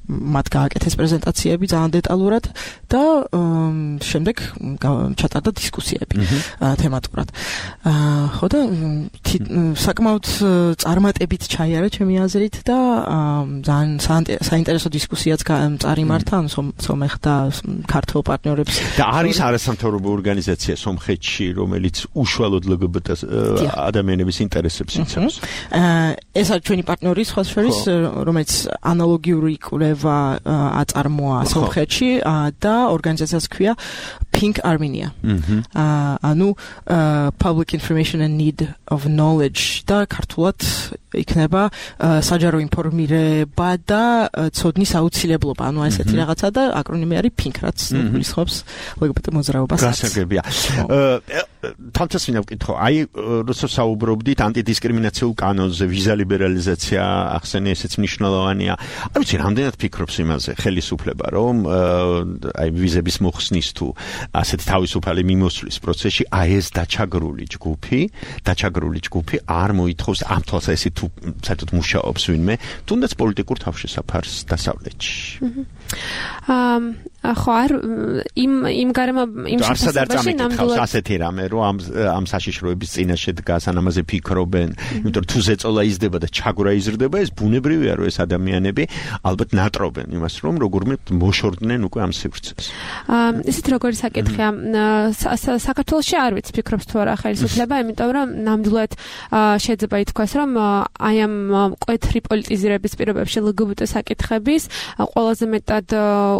მათ გააკეთეს პრეზენტაციები ძალიან დეტალურად და შემდეგ ჩატარდა დისკუსიები თემატურად. ხო და საკმაოდ წარმატებით ჩაიარა ჩემი აზრით და ძალიან საინტერესო დისკუსიაც წარიმართა ან სომეხ და ქართულ პარტნიორებს. და არის არასამთავრობო ორგანიზაცია სომხეთში, რომელიც უშუალოდ ლგბტ ადამიანების ინტერესებს იცავს. ეს არის ჩვენი პარტნიორი სხვა შორის, რომელიც ანალოგიური კვლევა აწარმოა სომხეთში და ორგანიზაციას ქვია Pink Armenia. ანუ Public Information and Need of Knowledge და ქართულად იქნება საჯარო ინფორმირება და ცოდნის აუცილებლობა, ანუ ესეთი რაღაცა და აკრონიმი არის ფინკ, რაც გულისხმობს ლგბტ მოძრაობას. გასაგებია. თამთას მინდა ვკითხო, აი როდესაც საუბრობდით ანტიდისკრიმინაციულ კანონზე, ვიზა ლიბერალიზაცია ახსენე ესეც მნიშვნელოვანია. არ ვიცი, რამდენად ფიქრობს იმაზე ხელისუფლება, რომ აი ვიზების მოხსნის თუ ასეთ თავისუფალი მიმოსვლის პროცესში აი ეს დაჩაგრული ჯგუფი, დაჩაგრული ჯგუფი არ მოითხოვს ამ თვალსაზრისით თუ საერთოდ მუშაობს ვინმე, თუნდაც პოლიტიკურ თავშესაფარს დასავლეთში. აა ხო არ იმ იმ გარემო იმ შესაძლებელი ნამდვილად ასეთი რამე რომ ამ ამ საშიშროების წინაშე დგას ან ამაზე ფიქრობენ, იმიტომ რომ თუ ზეწოლა იზრდება და ჩაგვრა იზრდება, ეს ბუნებრივია რომ ეს ადამიანები ალბათ ნატრობენ იმას რომ როგორმე მოშორდნენ უკვე ამ სივრცეს. აა ისეთ როგორი საკითხია საქართველოში არ ვიცი ფიქრობს თუ არა ხელისუფლება, იმიტომ რომ ნამდვილად შეიძლება ითქვას რომ აი ამ მკვეთრი პოლიტიზირების პირობებში ლგბტ საკითხების ყველაზე მეტად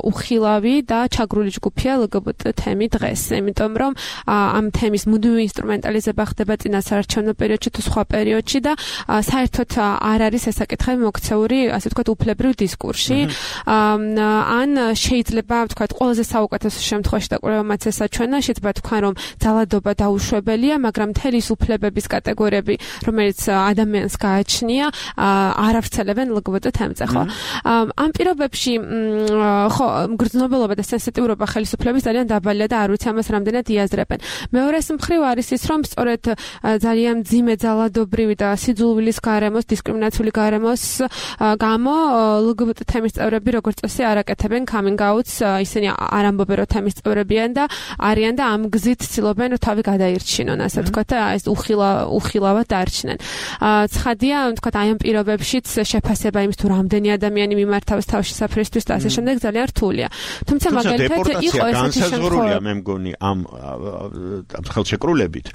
უხილავი და ჩაგრული ჯგუფია ლგბტ თემი დღეს, იმიტომ რომ ამ თემის მუდმივი ინსტრუმენტალიზება ხდება წინასაარჩევნო პერიოდში თუ სხვა პერიოდში და საერთოდ არ არის ეს საკითხები მოქცეული, ასე ვთქვათ, უფლებრივ დისკურსში. ან შეიძლება ვთქვათ, ყველაზე საუკეთესო შემთხვევაში და კვლევამაც ესაჩვენა, შეიძლება თქვან რომ ძალადობა დაუშვებელია, მაგრამ მთელი უფლებების კატეგორიები, რომელიც ადამიანს გააჩნია, არ ავრცელებენ ლგბტ თემზე, ხო? ამ პირობებში ხო, მგრძნობელობა და სენსიტიურობა ხელისუფლების ძალიან დაბალია და არ ვიცი ამას რამდენად იაზრებენ. მეორეს მხრივ არის ის, რომ სწორედ ძალიან მძიმე ძალადობრივი და სიძულვილის გარემოს, დისკრიმინაციული გარემოს გამო ლგბტ თემის წევრები როგორც წესი არ აკეთებენ coming outs, ისინი არ ამბობენ რომ თემის წევრებიან და არიან და ამ გზით ცდილობენ რომ თავი გადაირჩინონ, ასე ვთქვათ, და ეს უხილა უხილავად დარჩნენ. ცხადია, ვთქვათ, აი ამ პირობებშიც შეფასება იმის თუ რამდენი ადამიანი მიმართავს თავშესაფრისთვის და ასე შემდეგ ძალიან რთულია. თუმცა მაგალითად იყო ესეთი შემთხვევა, მე მგონი ამ ხელშეკრულებით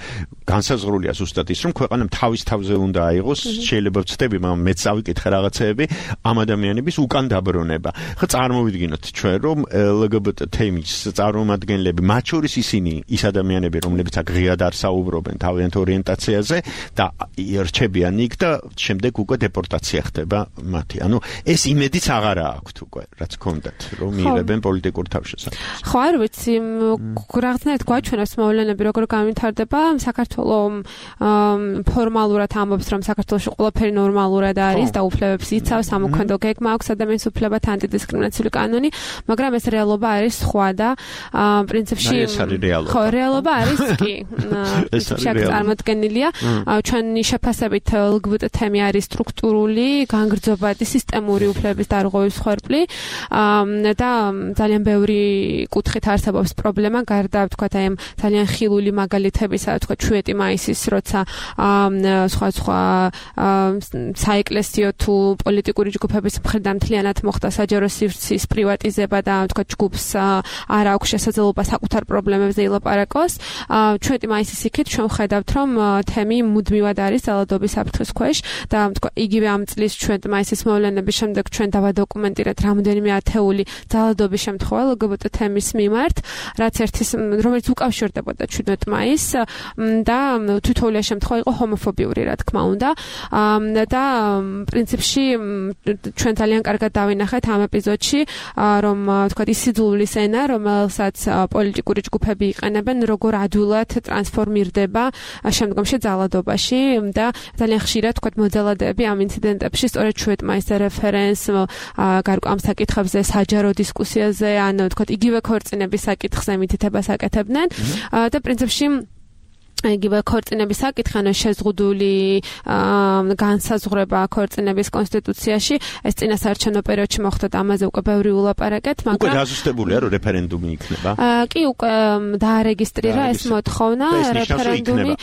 განსაზღვრულია ზუსტად ის, რომ ქვეყანამ თავის თავზე უნდა აიღოს, შეიძლება ვცდები, მაგრამ მეც ავიკითხე რაღაცეები, ამ ადამიანების უკან დაბრუნება. ხო, წარმოვიდგინოთ ჩვენ, რომ ლგბტ თემის წარმომადგენლები, მათ შორის ისინი, ის ადამიანები, რომლებიც აქ ღიად არ საუბრობენ თავიანთ ორიენტაციაზე და ირჩებიან იქ და შემდეგ უკვე დეპორტაცია ხდება მათი. ანუ ეს იმედიც აღარა აქვთ უკვე, რაც ჰქონდათ, რომ მიიღებენ პოლიტიკურ თავშესაფარს. ხო, არ ვიცი, რაღაცნაირად გვაჩვენებს მოვლენები როგორ გამვითარდება. საქართველოს ფორმალურად ამბობს, რომ საქართველოში ყველაფერი ნორმალურად არის და უფლებებს იცავს, ამოქმედო გეგმა აქვს ადამიანის უფლებათა ანტიდისკრიმინაციული კანონი, მაგრამ ეს რეალობა არის სხვა და პრინციპში ხო, რეალობა არის კი. პრინციპში აქ წარმოდგენილია. ჩვენი შეფასებით ლგბტ თემი არის სტრუქტურული, განგრძობადი, სისტემური უფლებების დარღვევის ხერხი და ძალიან ბევრი კუთხით არსებობს პრობლემა, გარდა ვთქვათ აი ამ ძალიან ხილული მაგალითებისა, ვთქვათ შვიდი მაისის, როცა სხვა სხვა საეკლესიო თუ პოლიტიკური ჯგუფების მხრიდან მთლიანად მოხდა საჯარო სივრცის პრივატიზება და ვთქვათ ჯგუფს არ აქვს შესაძლებლობა საკუთარ პრობლემებზე ილაპარაკოს. შვიდი მაისის იქით ჩვენ ვხედავთ, რომ თემი მუდმივად არის ძალადობის საფრთხის ქვეშ და ვთქვათ იგივე ამ წლის შვიდი მაისის მოვლენების შემდეგ ჩვენ დავადოკუმენტირეთ რამდენიმე ათეული ძალადობის შემთხვევა ლგბტ თემის მიმართ, რაც ერთის რომელიც უკავშირდებოდა შვიდმეტ მაისს და თითოეული შემთხვევა იყო ჰომოფობიური, რა თქმა უნდა. და პრინციპში ჩვენ ძალიან კარგად დავინახეთ ამ ეპიზოდში, რომ ვთქვათ ის სიძულვილის ენა, რომელსაც პოლიტიკური ჯგუფები იყენებენ, როგორ ადვილად ტრანსფორმირდება შემდგომში ძალადობაში და ძალიან ხშირად ვთქვათ მოძალადეები ამ ინციდენტებში სწორედ შვიდი მაისზე რეფერენს გარკვეულ საკითხებზე, საჯარო დისკუსიაზე, ან ვთქვათ იგივე ქორწინების საკითხზე მითითებას აკეთებდნენ და პრინციპში იგივე ქორწინების საკითხი, ანუ შეზღუდული განსაზღვრება ქორწინების კონსტიტუციაში, ეს წინასაარჩევნო პერიოდში მოხდა და ამაზე უკვე ბევრი ულაპარაკეთ, მაგრამ უკვე დაზუსტებულია, რომ რეფერენდუმი იქნება. კი, უკვე დაარეგისტრირა ეს მოთხოვნა, რეფერენდუმი.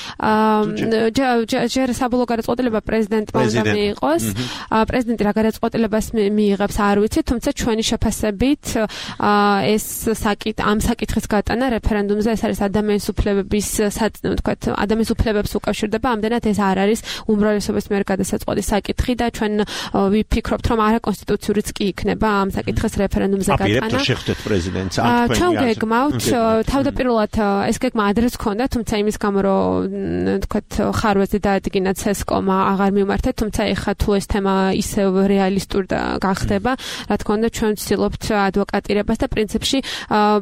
ჯერ საბოლოო გადაწყვეტილება პრეზიდენტმა უნდა მიიღოს. პრეზიდენტი რა გადაწყვეტილებას მიიღებს, არ ვიცი, თუმცა ჩვენი შეფასებით ეს საკითხ ამ საკითხის გატანა რეფერენდუმზე, ეს არის ადამიანის უფლებების საწინააღმდეგო თქვათ, ადამიანის უფლებებს უკავშირდება, ამდენად ეს არ არის უმრავლესობის მიერ გადასაწყვეტი საკითხი და ჩვენ ვიფიქრობთ, რომ არა კონსტიტუციურიც კი იქნება ამ საკითხის რეფერენდუმზე გატანა. აპირებთ რომ შეხვდეთ პრეზიდენტს ან თქვენ ჩვენ გეგმავთ თავდაპირველად ეს გეგმა ადრეც ქონდა, თუმცა იმის გამო რომ თქვათ ხარვეზე დაადგინა ცესკომა აღარ მიმართა, თუმცა ეხლა თუ ეს თემა ისევ რეალისტური გახდება, რა თქმა უნდა ჩვენ ვცდილობთ ადვოკატირებას და პრინციპში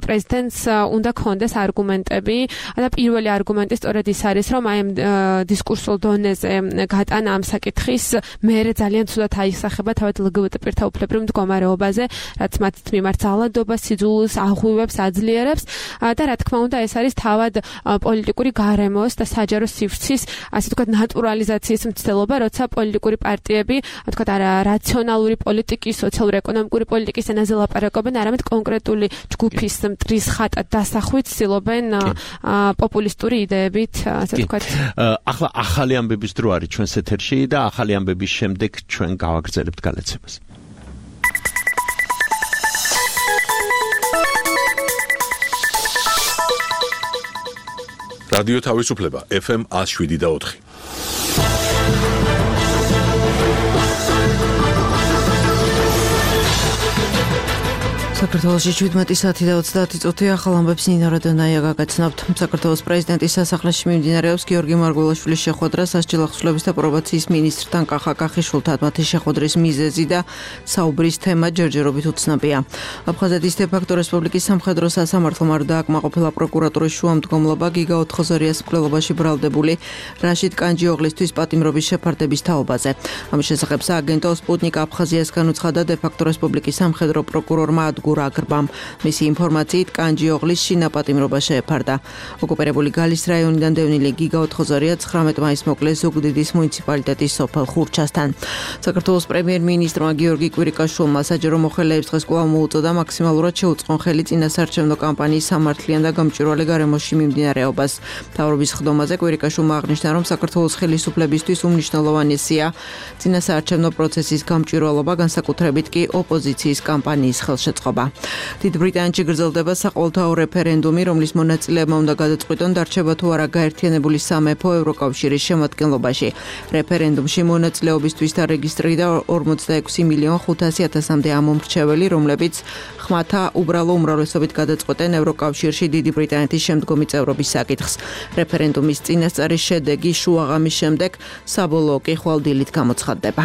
პრეზიდენტს უნდა ქონდეს არგუმენტები და პირველი არგუმენტი სწორედ ის არის, რომ აი ამ დისკურსულ დონეზე გატანა ამ საკითხის მერე ძალიან ცუდად აისახება თავად ლგბტ პირთა უფლებრივ მდგომარეობაზე, რაც მათ მიმართ ძალადობას, სიძულვილს აღვივებს, აძლიერებს და რა თქმა უნდა ეს არის თავად პოლიტიკური გარემოს და საჯარო სივრცის, ასე ვთქვათ, ნატურალიზაციის მცდელობა, როცა პოლიტიკური პარტიები, ვთქვათ, არა რაციონალური პოლიტიკის, სოციალურ-ეკონომიკური პოლიტიკის ენაზე ლაპარაკობენ, არამედ კონკრეტული ჯგუფის მტრის ხატად დასახვით ცდილობენ პოპულისტური იდეებით, ასე ვთქვათ. ახლა ახალი ამბების დრო არის ჩვენს ეთერში და ახალი ამბების შემდეგ ჩვენ გავაგრძელებთ გალაცებას. რადიო თავისუფლება ეფ ემ one oh seven და ოთხი. საქართველოში შვიდმეტი საათი და ოცდაათი წუთი ახალ ამბებს ნინო რადონაია გაგაცნობთ. საქართველოს პრეზიდენტის სასახლეში მიმდინარეობს გიორგი მარგველაშვილის შეხვედრა სასჯელ ახსვლების და პრობაციის მინისტრთან კახა კახიშვილთან. მათი შეხვედრის მიზეზი და საუბრის თემა ჯერჯერობით უცნობია. აფხაზეთის დე-ფაქტო რესპუბლიკის სამხედრო სასამართლომ არ დააკმაყოფილა პროკურატურის შუამდგომლობა გიგა ოთხოზორიას მკვლელობაში ბრალდებული რაშიდ კანჯიოღლისთვის პატიმრობის შეფარდების თაობაზე. ამის შესახებ სააგენტო სპუტნიკ აფხაზიასგან უცხადა დე-ფაქტო რესპუბლიკის სამხედრო პროკურორმა გურაგრბამ. მისი ინფორმაციით კანჯიოღლის შინაპატიმრობა შეეფარდა. ოკუპირებული გალის რაიონიდან დევნილი გიგა ოთხოზორია ცხრამეტ მაისს მოკლეს ზუგდიდის მუნიციპალიტეტის სოფელ ხურჩასთან. საქართველოს პრემიერ-მინისტრმა გიორგი კვირიკაშვილმა საჯარო მოხელეებს დღეს კვლავ მოუწოდა მაქსიმალურად შეუწყონ ხელი წინასაარჩევნო კამპანიის სამართლიან და გამჭვირვალე გარემოში მიმდინარეობას. მთავრობის ხდომაზე კვირიკაშვილმა აღნიშნა, რომ საქართველოს ხელისუფლებისთვის უმნიშვნელოვანესია წინასაარჩევნო პროცესის გამჭვირვალობა, განსაკუთრებით კი ოპოზიციის კამპანიის ხელშეწყობა. დიდ ბრიტანეთში გრძელდება საყოველთაო რეფერენდუმი, რომლის მონაწილეებმა უნდა გადაწყვიტონ დარჩება თუ არა გაერთიანებული სამეფო ევროკავშირის შემადგენლობაში. რეფერენდუმში მონაწილეობისთვის დარეგისტრირდა ორმოცდაექვსი მილიონ ხუთასი ათასამდე ამომრჩეველი, რომლებიც ხმათა უბრალო უმრავლესობით გადაწყვეტენ ევროკავშირში დიდი ბრიტანეთის შემდგომი წევრობის საკითხს. რეფერენდუმის წინასწარის შედეგი შუაღამის შემდეგ საბოლოო კი ხვალ დილით გამოცხადდება.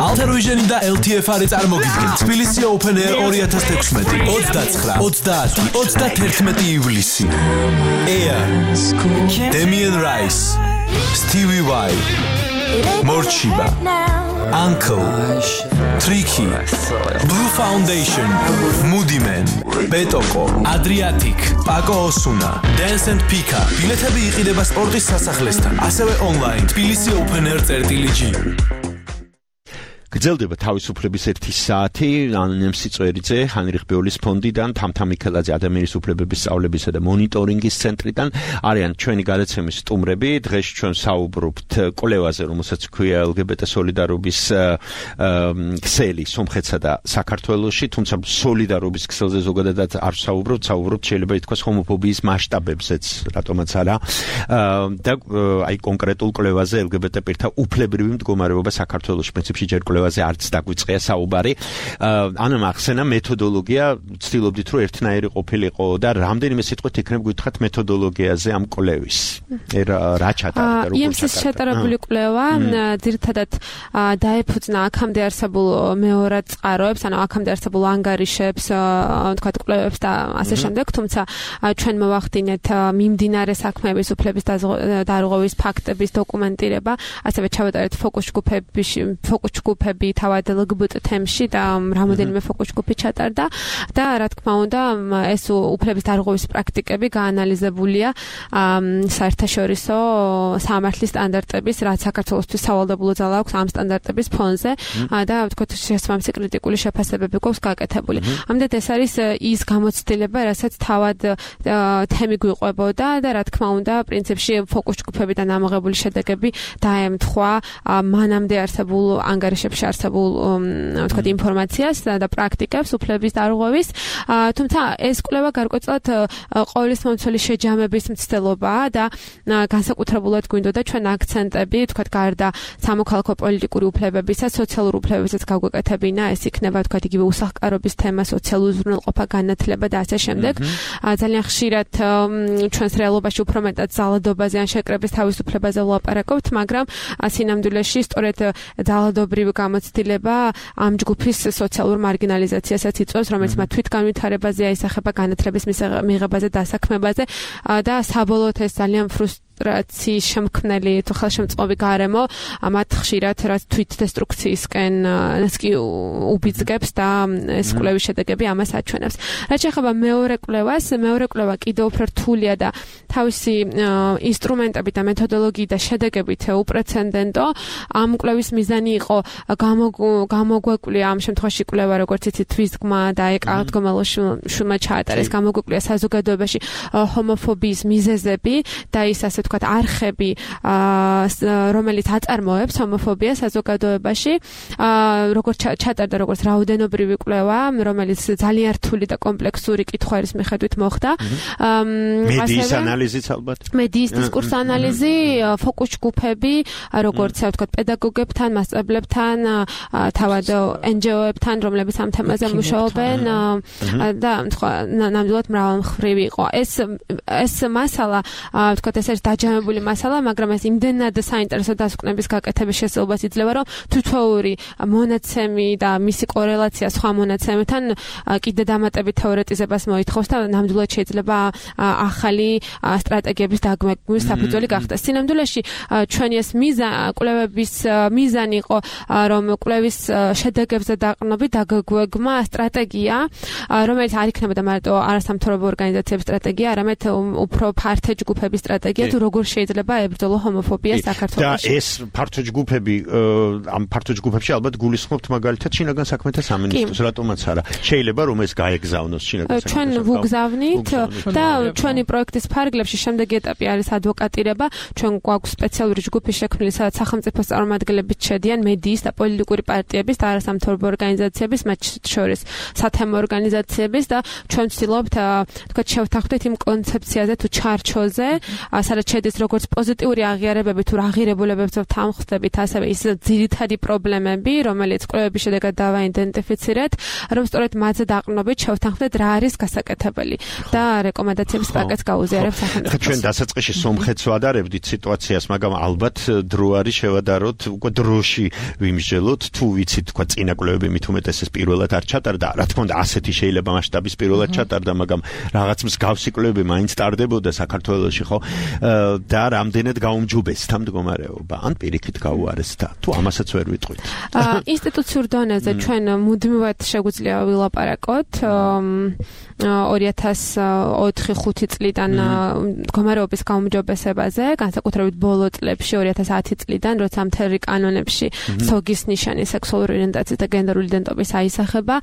Altaruiženi და ელ თი ეფ არის წარმოგიდგენთ თბილისი Open Air ორი ათას თექვსმეტი, ოცდაცხრა, ოცდაათი, ოცდათერთმეტი ივლისი. Air, Damien Rice, Stevie Vai, Morchiba, Uncle, Tricky, Blue Foundation, Moody Man, Betoko, Adriatic, Paco Osuna, Dance and Pika. ბილეთები იყიდება სპორტის სასახლესთან, ასევე online თბილისი Open Air წერტილი-ჯი. გრძელდება თავისუფლების ერთი საათი ანონიმ სიწვერიძე ჰანრიხ ბეოლის ფონდიდან თამთა მიქელაძე ადამიანის უფლებების სწავლებისა და მონიტორინგის ცენტრიდან არიან ჩვენი გადაცემის სტუმრები. დღეს ჩვენ საუბრობთ კვლევაზე, რომელსაც ქვია ელ გი ბი ტე სოლიდარობის ქსელი სომხეთსა და საქართველოში, თუმცა სოლიდარობის ქსელზე ზოგადად არ საუბრობთ, საუბრობთ შეიძლება ითქვას ჰომოფობიის მასშტაბებზეც, რატომაც არა. და აი კონკრეტულ კვლევაზე ელ გი ბი ტე პირთა უფლებრივი მდგომარეობა საქართველოში პრინციპში ჯერ კვლევაზე არც დაგვიწყია საუბარი. ანუ ახსენა მეთოდოლოგია, ვცდილობდით რომ ერთნაირი ყოფილიყო და რამდენიმე სიტყვით იქნებ გითხრათ მეთოდოლოგიაზე ამ კვლევის. რა ჩატარდა, როგორ ჩატარდა? ის ჩატარებული კვლევა ძირითადად დაეფუძნა აქამდე არსებულ მეორად წყაროებს, ანუ აქამდე არსებულ ანგარიშებს, თქვათ კვლევებს და ასე შემდეგ, თუმცა ჩვენ მოვახდინეთ მიმდინარე საქმეების უფლების დარღვევის ფაქტების დოკუმენტირება, ასევე ჩავატარეთ ფოკუს ჯგუფების ფოკუს ჯგუფები თავად ელ გი ბი ტე თემში და რამოდენიმე ფოკუს ჯგუფი ჩატარდა და რა თქმა უნდა ეს უფლების დარღვევის პრაქტიკები გაანალიზებულია საერთაშორისო სამართლის სტანდარტების, რაც საქართველოსთვის სავალდებულო ძალა აქვს ამ სტანდარტების ფონზე და ვთქვათ შესაბამისი კრიტიკული შეფასებები გვაქვს გაკეთებული. ამდენად ეს არის ის გამოცდილება, რასაც თავად თემი გვიყვებოდა და რა თქმა უნდა პრინციპში ფოკუს ჯგუფებიდან ამოღებული შედეგები დაემთხვა მანამდე არსებულ ანგარიშებში სექტორში არსებულ ვთქვათ ინფორმაციას და პრაქტიკებს უფლების დარღვევის. თუმცა ეს კვლევა გარკვეულწილად ყოვლის მომცველი შეჯამების მცდელობაა და განსაკუთრებულად გვინდოდა ჩვენ აქცენტები ვთქვათ გარდა სამოქალაქო პოლიტიკური უფლებებისა, სოციალურ უფლებებსაც გავგვეკეთებინა, ეს იქნება ვთქვათ იგივე უსახლკარობის თემა, სოციალური უზრუნველყოფა, განათლება და ასე შემდეგ. ძალიან ხშირად ჩვენს რეალობაში უფრო მეტად ძალადობაზე ან შეკრების თავისუფლებაზე ვლაპარაკობთ, მაგრამ სინამდვილეში სწორედ ძალადობრივი გამოცდილება ამ ჯგუფის სოციალურ მარგინალიზაციასაც იწვევს, რომელიც მათ თვითგანვითარებაზე აისახება, განათლების მიღებაზე, დასაქმებაზე და საბოლოოდ ეს ძალიან ფრუსტრაციის შემქმნელი თუ ხელშემწყობი გარემო მათ ხშირად რაც თვითდესტრუქციისკენ კი უბიძგებს და ეს კვლევის შედეგები ამას აჩვენებს. რაც შეეხება მეორე კვლევას, მეორე კვლევა კიდევ უფრო რთულია და თავისი ინსტრუმენტებით და მეთოდოლოგიით და შედეგებით უპრეცედენტო. ამ კვლევის მიზანი იყო გამოგვეკვლიო ამ შემთხვევაში კვლევა როგორც იცით თვისგმა და ეკალათგომელოშულმა ჩაატარეს გამოგვეკვლიო საზოგადოებაში ჰომოფობიის მიზეზები და ის ასე ვთქვათ არხები, რომელიც აწარმოებს ჰომოფობიას საზოგადოებაში. როგორც ჩატარდა როგორც რაოდენობრივი კვლევა, რომელიც ძალიან რთული და კომპლექსური კითხვების მიხედვით მოხდა. მედიის ანალიზიც ალბათ. მედიის დისკურს ანალიზი, ფოკუს ჯგუფები, როგორც ვთქვათ პედაგოგებთან, მასწავლებლებთან, თავად en ge o-ებთან, რომლებიც ამ თემაზე მუშაობენ და ნამდვილად მრავალმხრივი იყო. ეს ეს მასალა ვთქვათ ეს არის დაჯამებული მასალა, მაგრამ ეს იმდენად საინტერესო დასკვნების გაკეთების შესაძლებლობას იძლევა, რომ თითოეული მონაცემი და მისი კორელაცია სხვა მონაცემებთან კიდე დამატებით თეორეტიზებას მოითხოვს და ნამდვილად შეიძლება ახალი სტრატეგიების დაგმეკმის საფუძველი გახდეს. სინამდვილეში ჩვენი ეს კვლევების მიზანი იყო, რომ კვლევის შედეგებზე დაყრდნობით დაგგვეგმა სტრატეგია, რომელიც არ იქნებოდა მარტო არასამთავრობო ორგანიზაციების სტრატეგია, არამედ უფრო ფართო ჯგუფების სტრატეგია, თუ როგორ შეიძლება ებრძოლო ჰომოფობია საქართველოში. და ეს ფართო ჯგუფები, ამ ფართო ჯგუფებში ალბათ გულისხმობთ მაგალითად შინაგან საქმეთა სამინისტროს, რატომაც არა. შეიძლება რომ ეს გაეგზავნოს შინაგან საქმეთა. ჩვენ ვუგზავნით და ჩვენი პროექტის ფარგლებში შემდეგი ეტაპი არის ადვოკატირება. ჩვენ გვაქვს სპეციალური ჯგუფი შექმნილი, სადაც სახელმწიფოს წარმომადგენლები შედიან, მედიის და პოლიტიკური პარტიების და არასამთავრობო ორგანიზაციების, მათ შორის სათემო ორგანიზაციების და ჩვენ ვცდილობთ თქვათ შევთანხმდეთ იმ კონცეფციაზე თუ ჩარჩოზე, სადაც შედის როგორც პოზიტიური აღიარებები თუ აღიარებულებებს ვთანხმდებით, ასევე ის ძირითადი პრობლემები, რომელიც კვლევების შედეგად დავაიდენტიფიცირეთ, რომ სწორედ მათზე დაყრდნობით შევთანხმდეთ რა არის გასაკეთებელი და რეკომენდაციების პაკეტს გაუზიარებთ სახელმწიფოს. ჩვენ დასაწყისში სომხეთს ვადარებდით სიტუაციას, მაგრამ ალბათ დრო არის შევადაროთ, უკვე დროში ვიმსჯელოთ, თუ ვიცით თქვა წინა კვლევები მით უმეტესეს პირველად არ ჩატარდა, რა თქმა უნდა ასეთი შეიძლება მასშტაბის პირველად ჩატარდა, მაგრამ რაღაც მსგავსი კვლევები მაინც ტარდებოდა საქართველოში, ხო? და რამდენად გაუმჯობესდა მდგომარეობა, ან პირიქით გაუარესდა, თუ ამასაც ვერ ვიტყვით. ინსტიტუციურ დონეზე ჩვენ მუდმივად შეგვიძლია ვილაპარაკოთ ორი ათას ოთხი ხუთი წლიდან მდგომარეობის გაუმჯობესებაზე, განსაკუთრებით ბოლო წლებში ორი ათას ათი წლიდან, როცა მთელ კანონებში სოგის ნიშანი სექსუალური ორიენტაციის და გენდერული იდენტობის აისახება,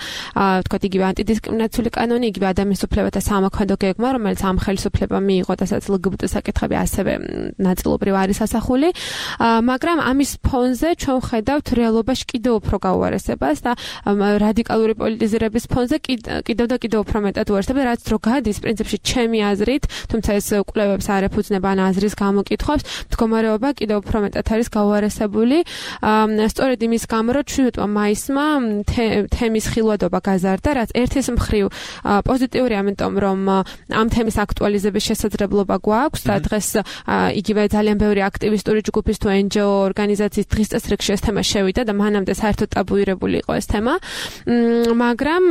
ვთქვათ იგივე ანტიდისკრიმინაციული კანონი, იგივე ადამიანის უფლებათა სამოქმედო გეგმა, რომელიც ამ ხელისუფლებამ მიიღო და სადაც ლგბტ საკითხები ასევე ნაწილობრივ არის ასახული, მაგრამ ამის ფონზე ჩვენ ვხედავთ რეალობაში კიდევ უფრო გაუარესებას და რადიკალური პოლიტიზირების ფონზე კიდევ და კიდევ უფრო მეტად უარესდება, რაც დრო გადის პრინციპში ჩემი აზრით, თუმცა ეს კვლევებს არ ეფუძნება ან აზრის გამოკითხვებს, მდგომარეობა კიდევ უფრო მეტად არის გაუარესებული. სწორედ იმის გამო, რომ შვიდმა მაისმა თემის ხილვადობა გაზარდა, რაც ერთის მხრივ პოზიტიური, ამიტომ რომ ამ თემის აქტუალიზების შესაძლებლობა გვაქვს და დღეს იგივე ძალიან ბევრი აქტივისტური ჯგუფის თუ en ge o ორგანიზაციის დღის წესრიგში ეს თემა შევიდა და მანამდე საერთოდ ტაბუირებული იყო ეს თემა, მაგრამ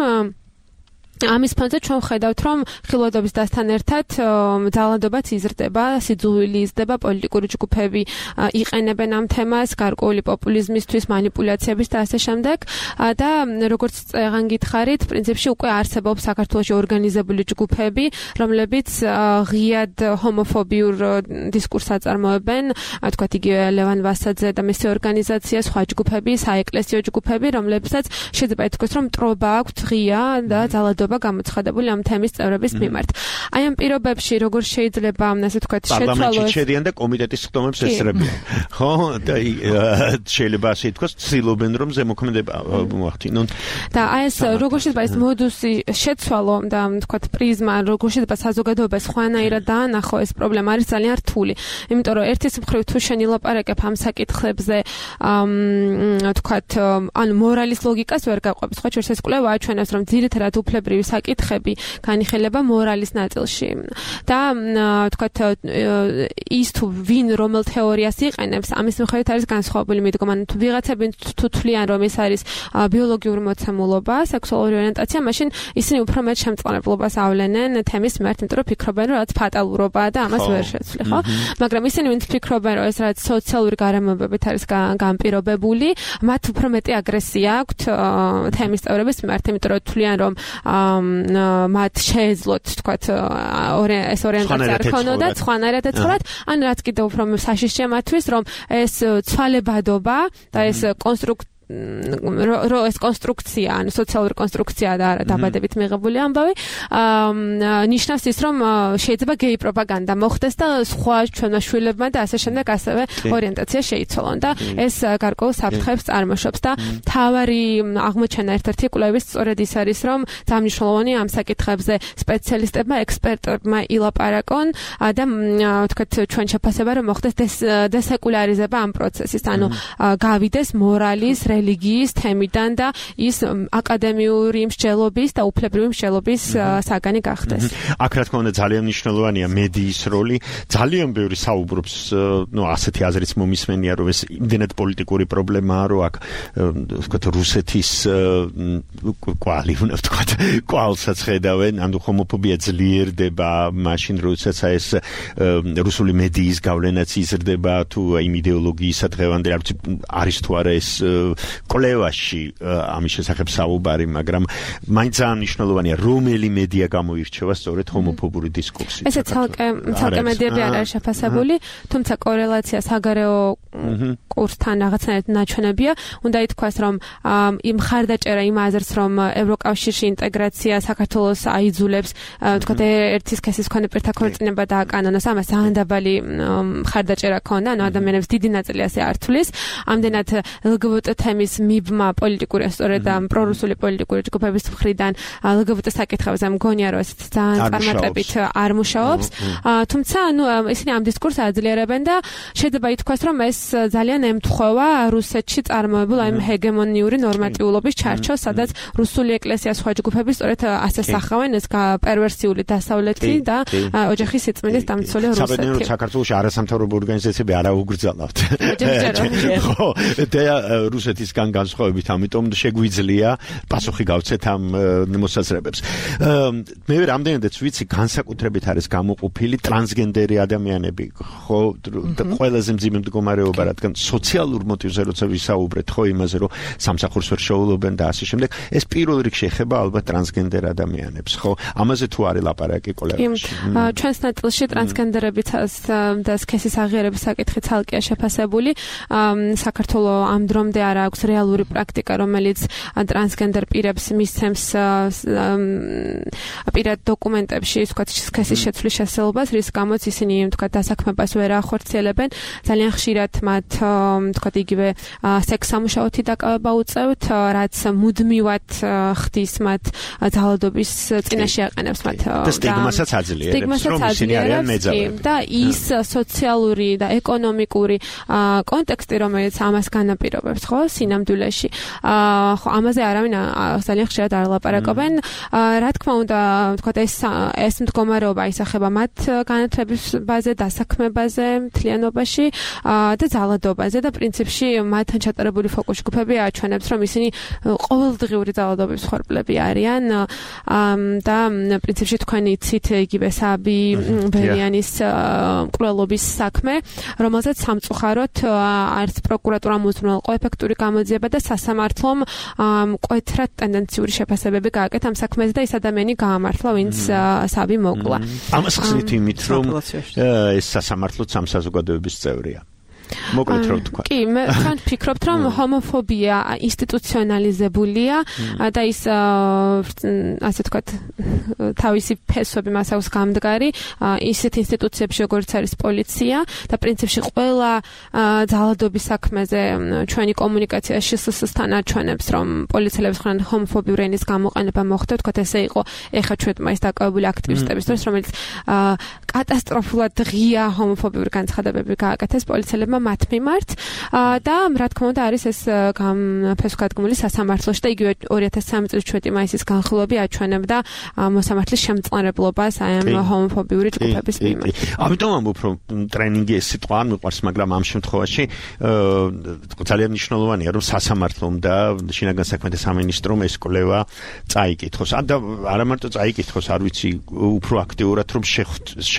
ამის ფონზე ჩვენ ვხედავთ, რომ ხილვადობის დასთან ერთად ძალადობაც იზრდება, სიძულვილი იზრდება, პოლიტიკური ჯგუფები იყენებენ ამ თემას, გარკვეული პოპულიზმისთვის, მანიპულაციების და ასე შემდეგ და როგორც წეგან გითხარით, პრინციპში უკვე არსებობს საქართველოში ორგანიზებული ჯგუფები, რომლებიც ღიად ჰომოფობიურ დისკურსს აწარმოებენ, თქვათ იგივე ლევან ვასაძე და მისი ორგანიზაცია, სხვა ჯგუფები, საეკლესიო ჯგუფები, რომლებსაც შეიძლება ითქვას, რომ მტრობა აქვთ ღია და ძალადობა განწყობილება გამოცხადებული ამ თემის წევრების მიმართ. აი ამ პირობებში როგორ შეიძლება ასე ვთქვათ შეცვალოს პარლამენტში შედიან და კომიტეტის ხდომებს ესწრებიან. ხო და შეიძლება ასე ითქვას ცდილობენ რომ ზემოქმედება მოახდინონ. და აი ეს როგორ შეიძლება ეს მოდუსი შეცვალო და ვთქვათ პრიზმა როგორ შეიძლება საზოგადოებას ხვანაირად დაანახო ეს პრობლემა არის ძალიან რთული. იმიტომ რომ ერთის მხრივ თუ შენ ილაპარაკებ ამ საკითხებზე ვთქვათ ან მორალის ლოგიკას ვერ გაყვებს. ხო ჩვენს ეს კვლევა აჩვენებს რომ ძირითადად უფლებრივი საკითხები განიხილება მორალის ნაწილში. და ვთქვათ ის თუ ვინ რომელ თეორიას იყენებს ამის მიხედვით არის განსხვავებული მიდგომა. თუ ვიღაცები თუ თვლიან რომ ეს არის ბიოლოგიური მოცემულობა, სექსუალური ორიენტაცია, მაშინ ისინი უფრო მეტ შემწყნარებლობას ავლენენ თემის მიმართ, იმიტომ რომ ფიქრობენ რომ რაც ფატალურობაა და ამას ვერ შეცვლი, ხო? მაგრამ ისინი ვინც ფიქრობენ რომ ეს რაც სოციალური გარემოებებით არის განპირობებული, მათ უფრო მეტი აგრესია აქვთ თემის წევრების მიმართ, იმიტომ რომ თვლიან რომ მათ შეეძლოთ, ვთქვათ, ეს ორიენტაცია არ ქონოდათ, სხვანაირად ეცხოვრათ, ან რაც კიდევ უფრო საშიშია მათთვის, რომ ეს ცვალებადობა და ეს კონსტრუქცია რო ეს კონსტრუქცია, ანუ სოციალური კონსტრუქცია და არა დაბადებით მიღებული ამბავი, ნიშნავს ის, რომ შეიძლება გეი პროპაგანდა მოხდეს და სხვა ჩვენმა შვილებმა და ასე შემდეგ ასევე ორიენტაცია შეიცვალონ და ეს გარკვეულ საფრთხეებს წარმოშობს და თავარი აღმოჩენა ერთ-ერთი კვლევის სწორედ ის არის, რომ ძალიან მნიშვნელოვანი ამ საკითხებზე სპეციალისტებმა, ექსპერტებმა ილაპარაკონ და ვთქვათ ჩვენ შეფასება რომ მოხდეს დესეკულარიზება ამ პროცესის, ანუ გავიდეს მორალის რელიგიის თემიდან და ის აკადემიური მსჯელობის და უფლებრივი მსჯელობის საგანი გახდეს. აქ რა თქმა უნდა ძალიან მნიშვნელოვანია მედიის როლი. ძალიან ბევრი საუბრობს, ნუ ასეთი აზრიც მომისმენია, რომ ეს იმდენად პოლიტიკური პრობლემაა, რომ აქ ვთქვათ რუსეთის კვალი უნდა ვთქვათ, კვალსაც ხედავენ, ანუ ჰომოფობია ძლიერდება, მაშინ როდესაც ეს რუსული მედიის გავლენაც იზრდება, თუ იმ იდეოლოგიისა დღევანდელი არ ვიცი არის თუ არა ეს კვლევაში ამის შესახებ საუბარი, მაგრამ მაინც ძალიან მნიშვნელოვანია რომელი მედია გამოირჩევა სწორედ ჰომოფობური დისკურსით. ესე ცალკე ცალკე მედიები არ არის შეფასებული, თუმცა კორელაცია საგარეო კურსთან რაღაცნაირად ნაჩვენებია. უნდა ითქვას, რომ იმ ხარდაჭერა იმ აზრს, რომ ევროკავშირში ინტეგრაცია საქართველოს აიძულებს, ვთქვათ, ერთი სქესის მქონე პირთა ქორწინება დააკანონოს, ამას ძალიან დაბალი ხარდაჭერა ქონდა, ანუ ადამიანებს დიდი ნაწილი ასე არ თვლის. ამდენად ელ გი ბი ტე თემის მიბმა პოლიტიკური სწორედ ამ პრორუსული პოლიტიკური ჯგუფების მხრიდან ელ გი ბი ტე საკითხებზე მგონია რომ ეს ძალიან წარმატებით არ მუშაობს. თუმცა ანუ ისინი ამ დისკურსს აძლიერებენ და შეიძლება ითქვას რომ ეს ძალიან ემთხვევა რუსეთში წარმოებულ აი ჰეგემონიური ნორმატიულობის ჩარჩოს, სადაც რუსული ეკლესია სხვა ჯგუფები სწორედ ასე სახავენ ეს პერვერსიული დასავლეთი და ოჯახის სიწმინდის დამცველი რუსეთი. საბედნიეროდ საქართველოში არასამთავრობო ორგანიზაციები არ აუგრძელავთ. ხო, და რუსეთისგან განსხვავებით, ამიტომ შეგვიძლია პასუხი გავცეთ ამ მოსაზრებებს. მე რამდენადაც ვიცი, განსაკუთრებით არის გამოყოფილი ტრანსგენდერი ადამიანები, ხო, ყველაზე მძიმე მდგომარეობა, რადგან სოციალურ მოტივზე როცა ვისაუბრეთ, ხო, იმაზე, რომ სამსახურს ვერ შეულებენ და ასე შემდეგ, ეს პირველ რიგში ეხება ალბათ ტრანსგენდერ ადამიანებს, ხო? ამაზე თუ არის ლაპარაკი კოლეგებში. ჩვენს ნაწილში ტრანსგენდერების და სქესის აღიარების საკითხი ცალკეა შეფასებული. საქართველოს ამ დრომდე არ აქვს რეალური პრაქტიკა, რომელიც ტრანსგენდერ პირებს მისცემს პირად დოკუმენტებში, ვთქვათ, სქესის შეცვლის შესაძლებლობას, რის გამოც ისინი, ვთქვათ, დასაქმებას ვერ ახორციელებენ. ძალიან ხშირად მათ, ვთქვათ, იგივე სექს-სამუშაოთი დაკავება უწევთ, რაც მუდმივად ხდის მათ ძალადობის წინაშე აყენებს მათ და სტიგმასაც აძლიერებს, რომ ისინი არიან მეძავები. და ის სოციალური და ეკონომიკური კონტექსტი, რომელიც ამას განაპირობებს, ხო, სინამდვილეში. ხო, ამაზე არავინ ძალიან ხშირად არ ლაპარაკობენ. რა თქმა უნდა, ვთქვათ, ეს ეს მდგომარეობა ისახება მათ განათლებაზე, დასაქმებაზე, მთლიანობაში და ძალადობაზე და პრინციპში მათთან ჩატარებული ფოკუს ჯგუფები აჩვენებს, რომ ისინი ყოველდღიური ძალადობის მსხვერპლები არიან და პრინციპში თქვენი იცით იგივე საბი ბერიანის მკვლელობის საქმე, რომელზეც სამწუხაროდ არც პროკურატურამ უზრუნველყო ეფექტური გამოძიება და სასამართლომ მკვეთრად ტენდენციური შეფასებები გააკეთა ამ საქმეზე და ეს ადამიანი გაამართლა, ვინც საბი მოკლა. ამას ხსნით იმით, რომ ეს სასამართლოც ამ საზოგადოების წევრია. მოკლედ რო თქვა. კი, მე თან ვფიქრობთ, რომ ჰომოფობია ინსტიტუციონალიზებულია და ის ასე ვთქვათ, თავისი ფესვები მას აქვს გამდგარი ისეთ ინსტიტუციებში, როგორც არის პოლიცია და პრინციპში ყველა ძალადობის საქმეზე ჩვენი კომუნიკაცია შსს-თან აჩვენებს, რომ პოლიციელების მხრიდან ჰომოფობიური ენის გამოყენება მოხდა, ვთქვათ, ესე იყო ეხა ჩვენ მაინც დაკავებული აქტივისტების დროს, რომელიც კატასტროფულად ღია ჰომოფობიური განცხადებები გააკეთეს პოლიციელებმა მათ მიმართ და რა თქმა უნდა არის ეს ფესვგადგმული სასამართლოში და იგივე ორი ათას სამი წლის ჩვენი მაისის განხილვები აჩვენებდა მოსამართლის შემწყნარებლობას აი ამ ჰომოფობიური ჯგუფების მიმართ. ამიტომ ამბობ, რომ ტრენინგი ეს სიტყვა არ მიყვარს, მაგრამ ამ შემთხვევაში ძალიან მნიშვნელოვანია, რომ სასამართლომ და შინაგან საქმეთა სამინისტრომ ეს კვლევა წაიკითხოს. და არა მარტო წაიკითხოს, არ ვიცი, უფრო აქტიურად რომ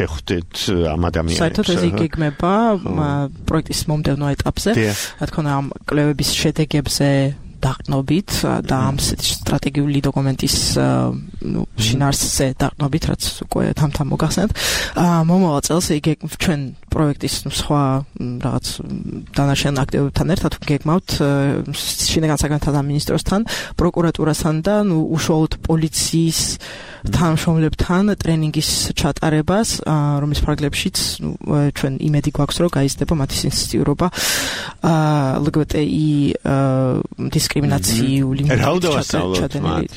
შეხვდეთ ამ ადამიანებს. საერთოდ ეს იგეგმება პროექტის მომდევნო ეტაპზე, რა თქმა უნდა, ამ კვლევების შედეგებზე დაყრდნობით და ამ სტრატეგიული დოკუმენტის ნუ შინაარსზე დაყრდნობით, რაც უკვე თამთან მოგახსენეთ. მომავალ წელს იგეგმ ჩვენ პროექტის სხვა რაღაც დანარჩენ აქტივობებთან ერთად გეგმავთ შინაგან საქმეთა სამინისტროსთან, პროკურატურასთან და ნუ უშუალოდ პოლიციის თანამშრომლებთან ტრენინგის ჩატარებას, რომლის ფარგლებშიც ნუ ჩვენ იმედი გვაქვს, რომ გაიზრდება მათი სენსიტივობა ლ გბ ტ ი დისკრიმინაციული ჩადენილი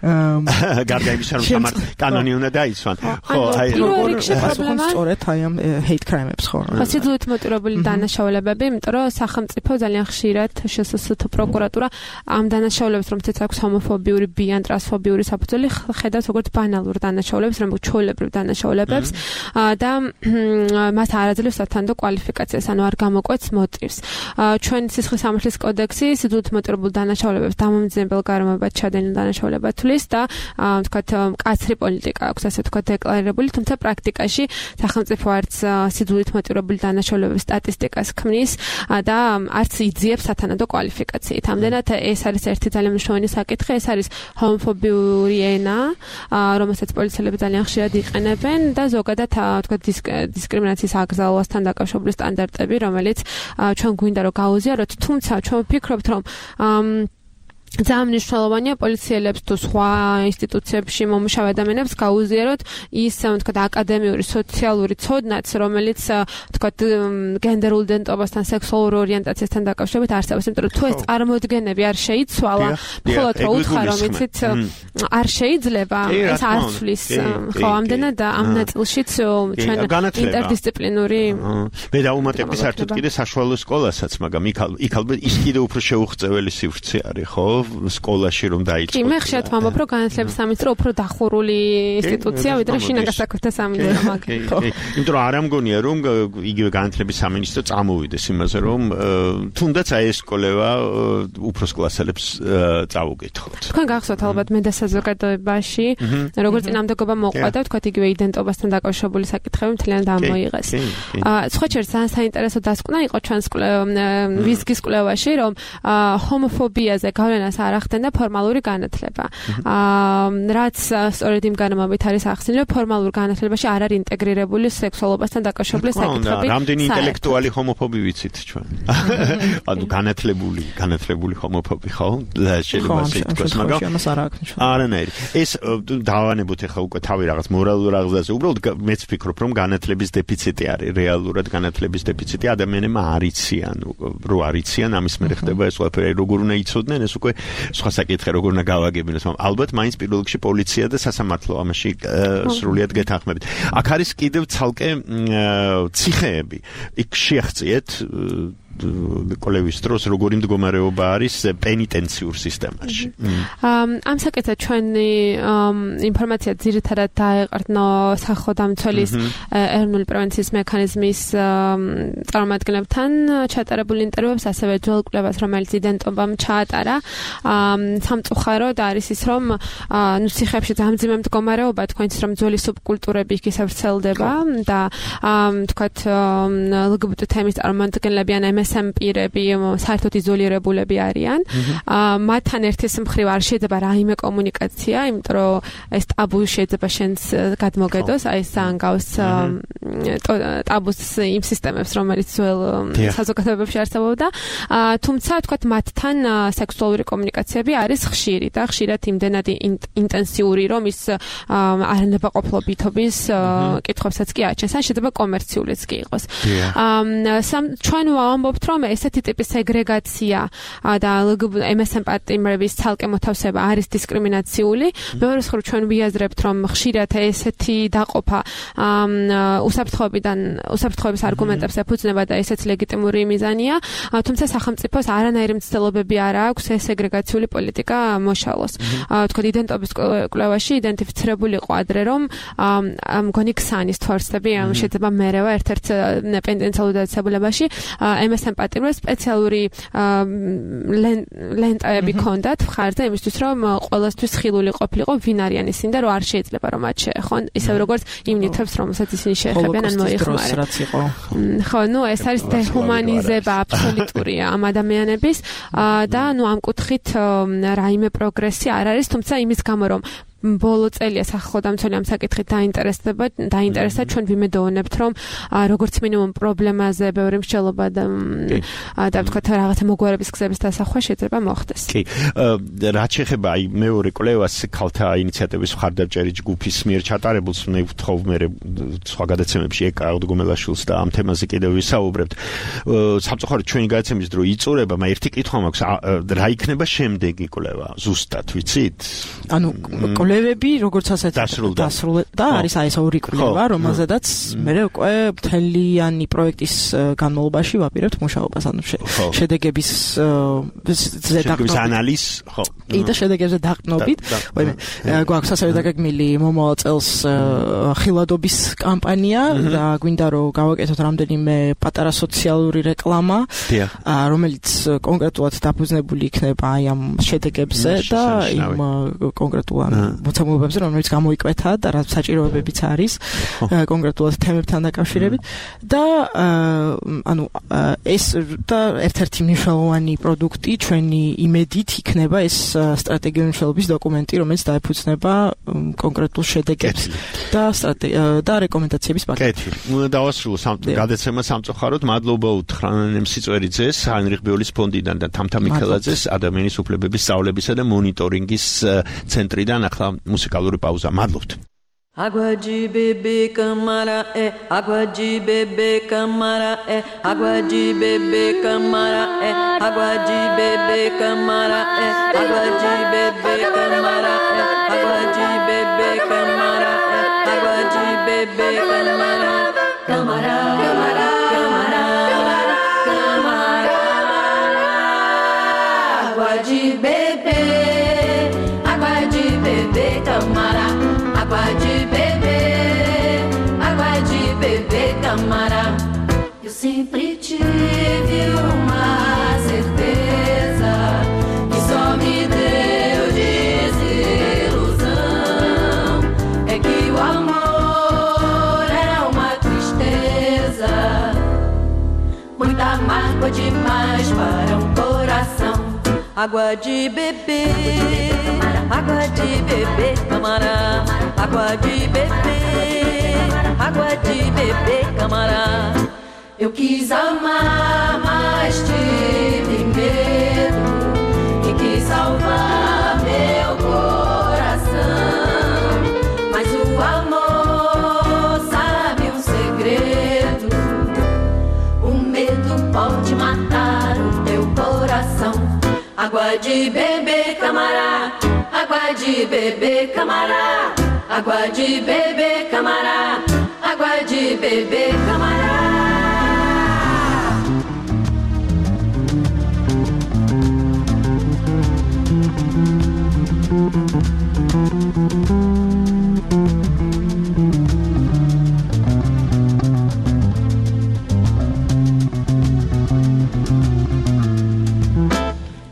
გარდა იმისა, რომ სამართ კანონი უნდა დაიცვან. ხო, აი როგორ პრობლემა სწორედ აი ამ hate crime-ებს ხო. ხასიათობით მოტივირებული დანაშაულებები, იმიტომ რომ სახელმწიფო ძალიან ხშირად შსს-თ პროკურატურა ამ დანაშაულებს, რომელთაც აქვს ჰომოფობიური, ბი ან ტრანსფობიური საფუძველი, ხედავს როგორც ბანალურ დანაშაულებს, როგორც ჩვეულებრივ დანაშაულებებს და მას არ აძლევს სათანდო კვალიფიკაციას, ანუ არ გამოკვეთს მოტივს. ჩვენ სისხლის სამართლის კოდექსი სიძულით მოტივირებულ დანაშაულებებს დამამძიმებელ გარემოებად ჩადენილ დანაშაულებად და ვთქვათ, კაცრი პოლიტიკა აქვს, ასე ვთქვათ, დეკლარირებული, თუმცა პრაქტიკაში სახელმწიფო არც სიძულით მოტივირებული დანაშაულებების სტატისტიკას ქმნის და არც იძიებს სათანადო კვალიფიკაციით. ამდენად ეს არის ერთი ძალიან მნიშვნელოვანი საკითხი, ეს არის ჰომოფობიური ენა, რომელსაც პოლიციელები ძალიან ხშირად იყენებენ და ზოგადად ვთქვათ, დისკრიმინაციის აკრძალვასთან დაკავშირებული სტანდარტები, რომელიც ჩვენ გვინდა რომ გაუზიაროთ, თუმცა ჩვენ ვფიქრობთ, რომ ძალიან მნიშვნელოვანია პოლიციელებს თუ სხვა ინსტიტუციებში მომუშავე ადამიანებს გაუზიაროთ ის, ვთქვათ, აკადემიური, სოციალური ცოდნაც, რომელიც, ვთქვათ, გენდერულ იდენტობასთან, სექსუალურ ორიენტაციასთან დაკავშირებით არსებობს, იმიტომ რომ თუ ეს წარმოდგენები არ შეიცვალა, მხოლოდ რომ უთხრა, რომ იცით, არ შეიძლება, ეს არ ცვლის, ხო, ამდენად ამ ნაწილშიც ჩვენ ინტერდისციპლინური მე დაუმატებდი საერთოდ კიდე საშუალო სკოლასაც, მაგრამ იქ ალბათ ის კიდე უფრო შეუღწეველი სივრცე არის, ხო? სკოლაში რომ დაიწყო. კი, მე ხშირად ვამბობ, რომ განათლების სამინისტრო უფრო დახურული ინსტიტუცია, ვიდრე შინაგან საქმეთა სამინისტრო მაგალითად. იმიტომ რომ არ ამგონია, რომ იგივე განათლების სამინისტრო წამოვიდეს იმაზე, რომ თუნდაც აი ეს კოლევა უფროს კლასელებს წავუკითხოთ. თქვენ გახსოვთ ალბათ მე და საზოგადოებაში, როგორც წინამდებობა მოყვა და ვთქვათ, იგივე იდენტობასთან დაკავშირებული საკითხები მთლიანად ამოიღეს. სხვა ჩერს ძალიან საინტერესო დასკვნა იყო ჩვენს ვიზგის კვლევაში, რომ ჰომოფობიაზე გავლენას არ ახდენდა ფორმალური განათლება. რაც სწორედ იმ განმავლობით არის ახსენილი, ფორმალურ განათლებაში არ არის ინტეგრირებული სექსუალობასთან დაკავშირებული საკითხები. რამდენი ინტელექტუალი ჰომოფობი ვიცით ჩვენ? ანუ განათლებული, განათლებული ჰომოფობი ხო? შეიძლება ასე ითქვას, მაგრამ არანაირი. ეს დავანებოთ ახლა უკვე თავი რაღაც მორალურ აღზრდაზე. უბრალოდ მეც ვფიქრობ, რომ განათლების დეფიციტი არის, რეალურად განათლების დეფიციტი, ადამიანებმა არ იციან, რო არ იციან, ამის მერე ხდება ეს ყველაფერი, როგორ უნდა იცოდნენ, ეს უკვე სხვა საკითხი, როგორ უნდა გავაგებინოს, მაგრამ ალბათ მაინც პირველ რიგში პოლიცია და სასამართლო ამაში სრულიად გეთანხმებით. აქ არის კიდევ ცალკე ციხეები. იქ შეახციეთ კოლევის დროს როგორი მდგომარეობა არის პენიტენციურ სისტემაში. ამ საკითხად ჩვენი ინფორმაცია ძირითადად დაეყრდნო სახელმწიფოს ეროვნული პრევენციის მექანიზმის წარმომადგენლებთან ჩატარებულ ინტერვიუებს, ასევე ძველ კვლევას, რომელიც იდენტობამ ჩაატარა. სამწუხაროდ არის ის, რომ ნუ ციხეებში დამძიმე მდგომარეობა, თქვენც რომ ძველი სუბკულტურები იქ ისევ ვრცელდება და თქვათ ლგბტ თემის წარმომადგენლები ან ემ ეს ეს ამ პირები საერთოდ იზოლირებულები არიან. მათთან ერთის მხრივ არ შეიძლება რაიმე კომუნიკაცია, იმიტომ რომ ეს ტაბუ შეიძლება შენს გადმოგედოს, აი ეს ანგავს ტაბუს იმ სისტემებს, რომელიც ძველ საზოგადოებებში არსებობდა. თუმცა თქვათ მათთან სექსუალური კომუნიკაციები არის ხშირი და ხშირად იმდენად ინტენსიური, რომ ის არანებაყოფლობითობის კითხვებსაც კი აჩენს, ან შეიძლება კომერციულიც კი იყოს. ჩვენ ვამბობთ, რომ ესეთი ტიპის სეგრეგაცია და ემ ეს ემ პარტნიორების ცალკე მოთავსება არის დისკრიმინაციული. მეორე მხრივ ჩვენ ვიაზრებთ, რომ ხშირად ესეთი დაყოფა უსაფრთხოებიდან უსაფრთხოების არგუმენტებს ეფუძნება და ესეც ლეგიტიმური მიზანია, თუმცა სახელმწიფოს არანაირი მცდელობები არ აქვს ეს სეგრეგაციული პოლიტიკა მოშალოს. თქვა იდენტობის კვლევაში იდენტიფიცირებული იყო ადრე, რომ მგონი ქსანის თვალსები შეიძლება მერევა ერთ-ერთ პენტენციალურ დაწესებულებაში ემ ეს ემ პარტნიორებს სპეციალური ლენტაები ჰქონდათ მხარზე იმისთვის, რომ ყველასთვის ხილული ყოფილიყო ვინ არიან ისინი და რომ არ შეიძლება რომ მათ შეეხონ, ისევ როგორც იმ ნივთებს, რომელსაც ისინი შეეხებიან ან მოიხმარენ. ხო, ნუ ეს არის დეჰუმანიზება აბსოლუტური ამ ადამიანების და ნუ ამ კუთხით რაიმე პროგრესი არ არის, თუმცა იმის გამო რომ ბოლო წელია სახელმწიფო ამ საკითხით დაინტერესდება, დაინტერესდა ჩვენ ვიმედოვნებთ, რომ როგორც მინიმუმ პრობლემაზე ბევრი მსჯელობა და და ვთქვათ რაღაცა მოგვარების გზების დასახვა შეიძლება მოხდეს. კი. რაც შეეხება აი მეორე კვლევას ქალთა ინიციატივის მხარდამჭერი ჯგუფის მიერ ჩატარებულს, მე ვთხოვ მე სხვა გადაცემებში ეკა აღდგომელაშვილს და ამ თემაზე კიდევ ვისაუბრებთ. სამწუხაროდ ჩვენი გადაცემის დრო იწურება, მაგრამ ერთი კითხვა მაქვს, რა იქნება შემდეგი კვლევა? ზუსტად ვიცით? ანუ კვლევები როგორც ასეთ დასრულდა და არის აი ეს ორი კვლევა, რომელზედაც მე უკვე მთლიანი პროექტის განმავლობაში ვაპირებთ მუშაობას, ანუ შედეგების შედეგების ანალიზ, ხო. და შედეგებზე დაყრდნობით, ვაიმე, გვაქვს ასევე დაგეგმილი მომავალ წელს ხილვადობის კამპანია და გვინდა რომ გავაკეთოთ რამდენიმე პატარა სოციალური რეკლამა, რომელიც კონკრეტულად დაფუძნებული იქნება აი ამ შედეგებზე და იმ კონკრეტულ მოცემულობებზე, რომელიც გამოიკვეთა და რაც საჭიროებებიც არის კონკრეტულად თემებთან დაკავშირებით და ანუ ეს და ერთ-ერთი მნიშვნელოვანი პროდუქტი ჩვენი იმედით იქნება ეს სტრატეგიული მნიშვნელობის დოკუმენტი, რომელიც დაეფუძნება კონკრეტულ შედეგებს და და რეკომენდაციების პაკეტს. უნდა დავასრულო გადაცემა სამწუხაროდ. მადლობა უთხრან სიწვერიძეს, ჰაინრიხ ბიოლის ფონდიდან და თამთა მიქელაძეს ადამიანის უფლებების სწავლებისა და მონიტორინგის ცენტრიდან. ახლა მუსიკალური პაუზა. მადლობთ. Água de beber, camara é, água de beber, camara é, água de beber, camara é, água de beber, camara é, água de beber, camara é, água de beber, camara é, água de beber, camara, camara, camara, camara, camara, água de beber, água de beber, camara. Água de beber, água de beber, camará. Eu sempre tive uma certeza que só me deu desilusão. É que o amor era uma tristeza, muita mágoa demais para um coração. Água de beber, água de beber, camará. Água de beber, água de beber, camará. Eu quis amar, mas tive medo e quis salvar meu coração. Mas o amor sabe um segredo, o medo pode matar o teu coração. Água de beber, camará. Água de beber, camará. Água de beber, camará. Água de beber, camará.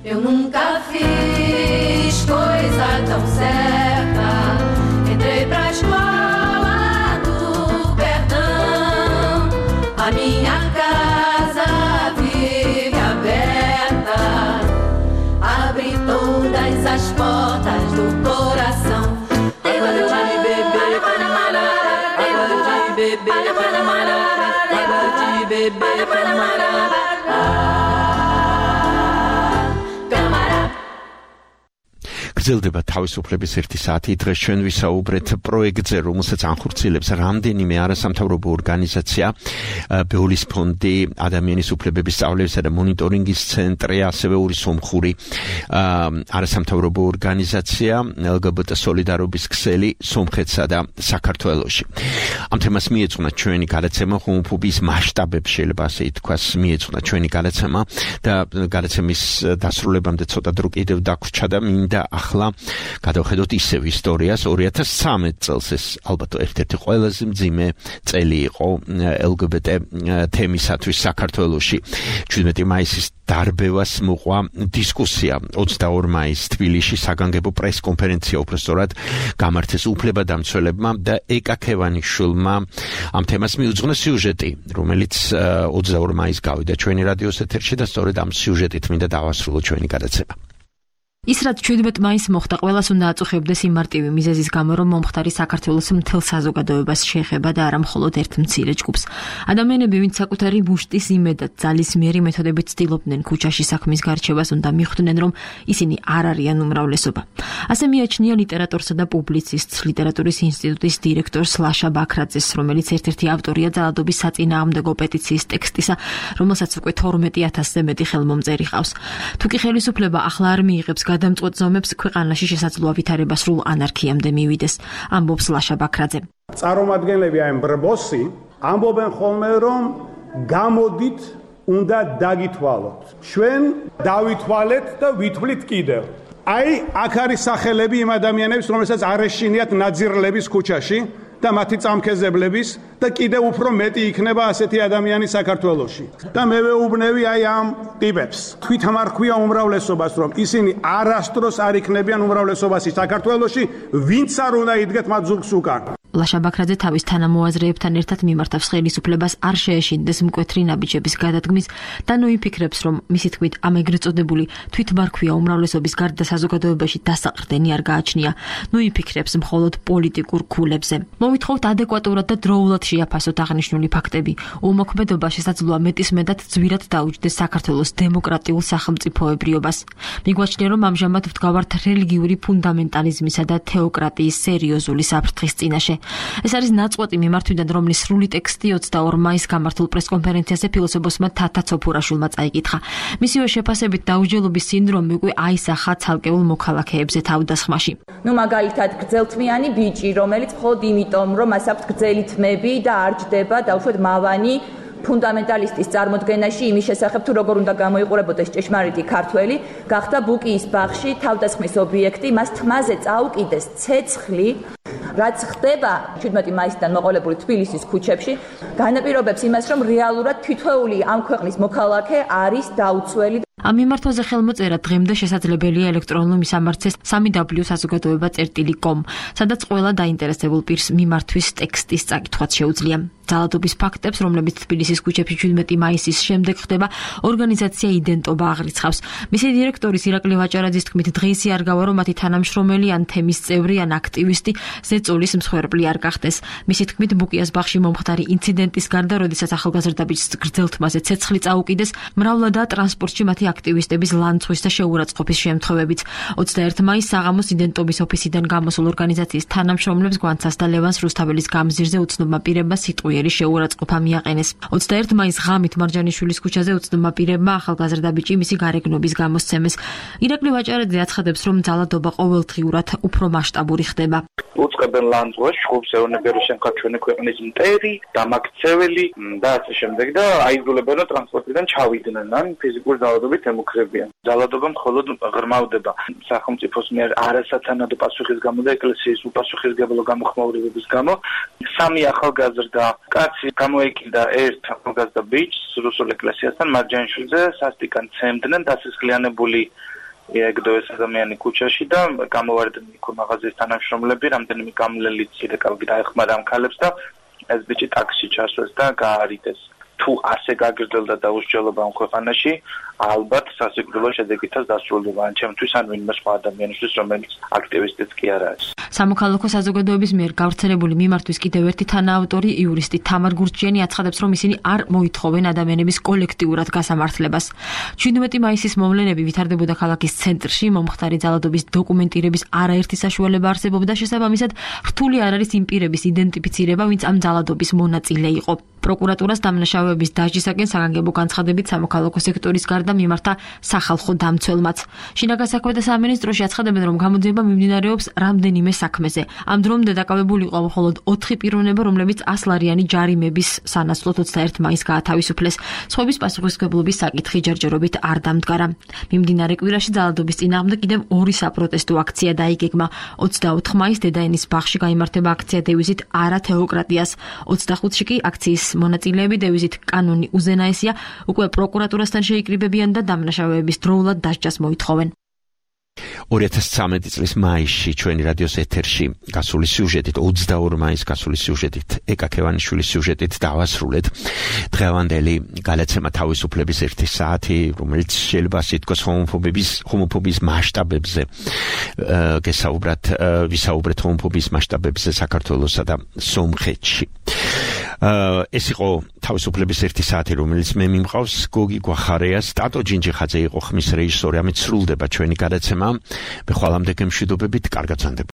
Eu nunca fiz coisa tão certa. Entrei pra escola do perdão, portas do coração. Água de bebê camará, água de bebê camará, água de bebê camará. გრძელდება თავისუფლების ერთი საათი. დღეს ჩვენ ვისაუბრეთ პროექტზე, რომელსაც ანხორციელებს რამდენიმე არასამთავრობო ორგანიზაცია, ბეოლის ფონდი, ადამიანის უფლებების სწავლებისა და მონიტორინგის ცენტრი, ასევე ორი სომხური არასამთავრობო ორგანიზაცია, ელ გი ბი ტი სოლიდარობის ქსელი სომხეთსა და საქართველოში. ამ თემას მიეძღვნა ჩვენი გადაცემა, ჰომოფობიის მასშტაბებს შეიძლება ასე ითქვას, მიეძღვნა ჩვენი გადაცემა და გადაცემის დასრულებამდე ცოტა დრო კიდევ დაგვრჩა და მინდა ახლა გადავხედოთ ისევ ისტორიას. ორი ათას ცხრამეტ წელს ეს ალბათ ერთ-ერთი ყველაზე მძიმე წელი იყო ელ გი ბი ტი თემისათვის საქართველოში. შვიდმეტი მაისის დარბევას მოყვა დისკუსია ოცდაორი მაისს თბილისში საგანგებო პრესკონფერენცია უბრალოდ გამართეს უფლებადამცველებმა და ეკა ქევანიშვილმა ამ თემას მიუძღვნა სიუჟეტი, რომელიც ოცდაორი მაისს გავიდა ჩვენი რადიოს ეთერში და სწორედ ამ სიუჟეტით მინდა დავასრულო ჩვენი გადაცემა. ის რაც შვიდმეტ მაისს მოხდა, ყველას უნდა აწუხებდეს იმ მარტივი მიზეზის გამო, რომ მომხდარი საქართველოს მთელ საზოგადოებას შეეხება და არა მხოლოდ ერთ მცირე ჯგუფს. ადამიანები, ვინც საკუთარი მუშტის იმედად ძალისმიერი მეთოდებით ცდილობდნენ ქუჩაში საქმის გარჩევას, უნდა მიხვდნენ, რომ ისინი არ არიან უმრავლესობა. ასე მიაჩნია ლიტერატორსა და პუბლიცისტს, ლიტერატურის ინსტიტუტის დირექტორს ლაშა ბაქრაძეს, რომელიც ერთ-ერთი ავტორია ძალადობის საწინააღმდეგო პეტიციის ტექსტისა, რომელსაც უკვე თორმეტი ათასზე მეტი ხელმომწერი ყავს. თუ კი ხელისუფლება ახლა არ მიიღებს გადამწყვეტ ზომებს, ქვეყანაში შესაძლოა ვითარება სრულ ანარქიამდე მივიდეს, ამბობს ლაშა ბაქრაძე. წარმომადგენლები აი მბრბოსი ამბობენ ხოლმე, რომ გამოდით უნდა დაგითვალოთ. ჩვენ დავითვალეთ და ვითვლით კიდევ. აი აქ არის სახელები იმ ადამიანების, რომელსაც არ ეშინიათ ნაძირლების ქუჩაში და მათი წამქეზებლების და კიდევ უფრო მეტი იქნება ასეთი ადამიანი საქართველოში. და მე ვეუბნები აი ამ ტიპებს. თვითამარქვია უმრავლესობას, რომ ისინი არასდროს არ იქნებიან უმრავლესობაში საქართველოში, ვინც არ უნდა იდგეთ მათ ზურგს უკან. ლაშა ბაქრაძე თავის თანამოაზრეებთან ერთად მიმართავს ხელისუფლებას არ შეეშინდეს მკვეთრი ნაბიჯების გადადგმის და ნოიფიქრებს, რომ მისი თქმით ამ ეგრეთ წოდებული თვითმარქვია უმრავლესობის გარდა საზოგადოებაში დასაყრდენი არ გააჩნია. ნოიფიქრებს მხოლოდ პოლიტიკურ ქულებზე. მოვითხოვთ ადეკვატურად და დროულად შეაფასოთ აღნიშნული ფაქტები. უმოქმედობა შესაძლოა მეტისმეტად ძვირად დაუჯდეს საქართველოს დემოკრატიულ სახელმწიფოებრიობას. მიგვაჩნია, რომ ამჟამად ვდგავართ რელიგიური ფუნდამენტალიზმისა და თეოკრატიის სერიოზული საფრთხის წინაშე. ეს არის ნაწყვეტი მიმართვიდან, რომლის სრული ტექსტი ოცდაორი მაისს გამართულ პრესკონფერენციაზე ფილოსოფოსმა თათა ცოფურაშვილმა წაიკითხა. მისივე შეფასებით დაუჯელობის სინდრომი უკვე აისახა ცალკეულ მოქალაქეებზე თავდასხმაში. ნუ მაგალითად გრძელთმიანი ბიჭი, რომელიც მხოლოდ იმიტომ, რომ მას აქვს გრძელი თმები და არ ჯდება დაუშვათ მავანი ფუნდამენტალისტის წარმოდგენაში იმის შესახებ, თუ როგორ უნდა გამოიყურებოდეს ჭეშმარიტი ქართველი, გახდა ბუკიის ბაღში თავდასხმის ობიექტი, მას თმაზე წაუკიდეს ცეცხლი. რაც ხდება შვიდმეტი მაისიდან მოყოლებული თბილისის ქუჩებში, განაპირობებს იმას, რომ რეალურად თითოეული ამ ქვეყნის მოქალაქე არის დაუცველი. ამ მიმართვაზე ხელმოწერა დღემდე შესაძლებელია ელექტრონულ მისამართზე სამი დაბლიუ საზოგადოება წერტილი კომ, სადაც ყველა დაინტერესებულ პირს მიმართვის ტექსტის წაკითხვაც შეუძლია. ძალადობის ფაქტებს, რომლებიც თბილისის ქუჩებში შვიდმეტი მაისის შემდეგ ხდება, ორგანიზაცია იდენტობა აღრიცხავს. მისი დირექტორის ირაკლი ვაჭარაძის თქმით, დღეისი არ გავა, რომ მათი თანამშრომელი ან თემის წევრი ან აქტივისტი ზეწოლის მსხვერპლი არ გახდეს. მისი თქმით, ბუკიას ბაღში მომხდარი ინციდენტის გარდა, როდესაც ახალგაზრდა ბიჭს გრძელთმაზე ცეცხლი წაუკიდეს, მრავლადაა ტრანსპორტში მათი აქტივისტების ლანცღვის და შეურაცხყოფის შემთხვევებიც. ოცდაერთი მაისს საღამოს იდენტობის ოფისიდან გამოსულ ორგანიზაციის თანამშრომლებს გვანცას და ლევანს რუსთაველის გამზირზე უცნობმა პირებმა სიტყვიერი შეურაცხყოფა მიაყენეს. ოცდაერთი მაისს ღამით მარჯანიშვილის ქუჩაზე უცნობმა პირებმა ახალგაზრდა ბიჭი მისი გარეგნობის გამოსცემეს. ირაკლი ვაჭარაძე აცხადებს, რომ ძალადობა ყოველდღიურად უფრო მასშტაბური ხდება. უწყებენ ლანძღვას, შხობს ეონებიან შემხარ ჩვენი ქვეყნის მტერი, დამაქცეველი და ასე შემდეგ და აიძულებენ რომ ტრანსპორტიდან ჩავიდნენ ან ფიზიკური ძალადობით ემუქრებიან. ძალადობა მხოლოდ ღრმავდება სახელმწიფოს მიერ არასათანადო პასუხის გამო და ეკლესიის უპასუხისმგებლო გამოხმაურებების გამო. სამი ახალგაზრდა კაცი გამოეკიდა ერთ ახალგაზრდა ბიჭს რუსულ ეკლესიასთან მარჯანიშვილზე, სასტიკად ცემდნენ დასისხლიანებული ეგდოეს ადამიანი ქუჩაში და გამოვარდნენ იქ მაღაზიის თანამშრომლები, რამდენიმე გამლელი ცირეკავი დაეხმარა ამ ქალებს და ეს ბიჭი ტაქსში ჩასვეს და გაარიდეს. თუ ასე გაგრძელდა და უსჯელობა ამ ქვეყანაში, ალბათ სასიკვდილო შედეგითაც დასრულდება ან ჩემთვის ან ვინმე სხვა ადამიანისთვის, რომელიც აქტივისტიც კი არ არის. სამოქალაქო საზოგადოების მიერ გავრცელებული მიმართვის კიდევ ერთი თანაავტორი იურისტი თამარ გურჩიანი აცხადებს, რომ ისინი არ მოითხოვენ ადამიანების კოლექტიურად გასამართლებას. შვიდმეტი მაისის მოვლენები ვითარდებოდა ქალაქის ცენტრში, მომხდარი ძალადობის დოკუმენტირების არაერთი საშუალება არსებობდა, შესაბამისად, რთული არ არის იმ პირების იდენტიფიცირება, ვინც ამ ძალადობის მონაწილე იყო. პროკურატურას დამნაშავეების დასჯისაკენ საგანგებო განცხადებით სამოქალაქო სექტორის გარდა მიმართა სახალხო დამცველმაც. შინაგან საქმეთა სამინისტროში აცხადებენ, რომ გამოძიება მიმდინარეობს რამდენიმე საქმეზე. ამ დრომდე დაკავებული იყო მხოლოდ ოთხი პიროვნება, რომლებიც ასლარიანი ჯარიმების სანაცვლოდ ოცდაერთი მაისს გაათავისუფლეს. სხვების პასუხისმგებლობის საკითხი ჯერჯერობით არ დამდგარა. მიმდინარე კვირაში ძალადობის წინააღმდეგ კიდევ ორი საპროტესტო აქცია დაიგეგმა. ოცდაოთხ მაისს დედაენის ბაღში გაიმართება აქცია დევიზით არა თეოკრატიას. ოცდახუთში კი აქციის მონაწილეები დევიზით კანონი უზენაესია უკვე პროკურატურასთან შეიკრიბებიან და დამნაშავეების დროულად დასჯას მოითხოვენ. ორი ათას ცხრამეტი წლის მაისში ჩვენი რადიოს ეთერში გასული სიუჟეტით, ოცდაორი მაისს გასული სიუჟეტით, ეკა ქევანიშვილის სიუჟეტით დავასრულეთ დღევანდელი გადაცემა თავისუფლების ერთი საათი, რომელიც შეიძლება სიტყვას ჰომოფობიის ჰომოფობიის მასშტაბებზე გესაუბრათ, ვისაუბრეთ ჰომოფობიის მასშტაბებზე საქართველოსა და სომხეთში. ეს იყო თავისუფლების ერთი საათი, რომელიც მე მიმყავს გოგი გვახარეას, ტატო ჯინჯიხაძე იყო ხმის რეჟისორი, ამით სრულდება ჩვენი გადაცემა. მე ხვალამდე გემშვიდობებით, კარგად ვსანდებოდეთ.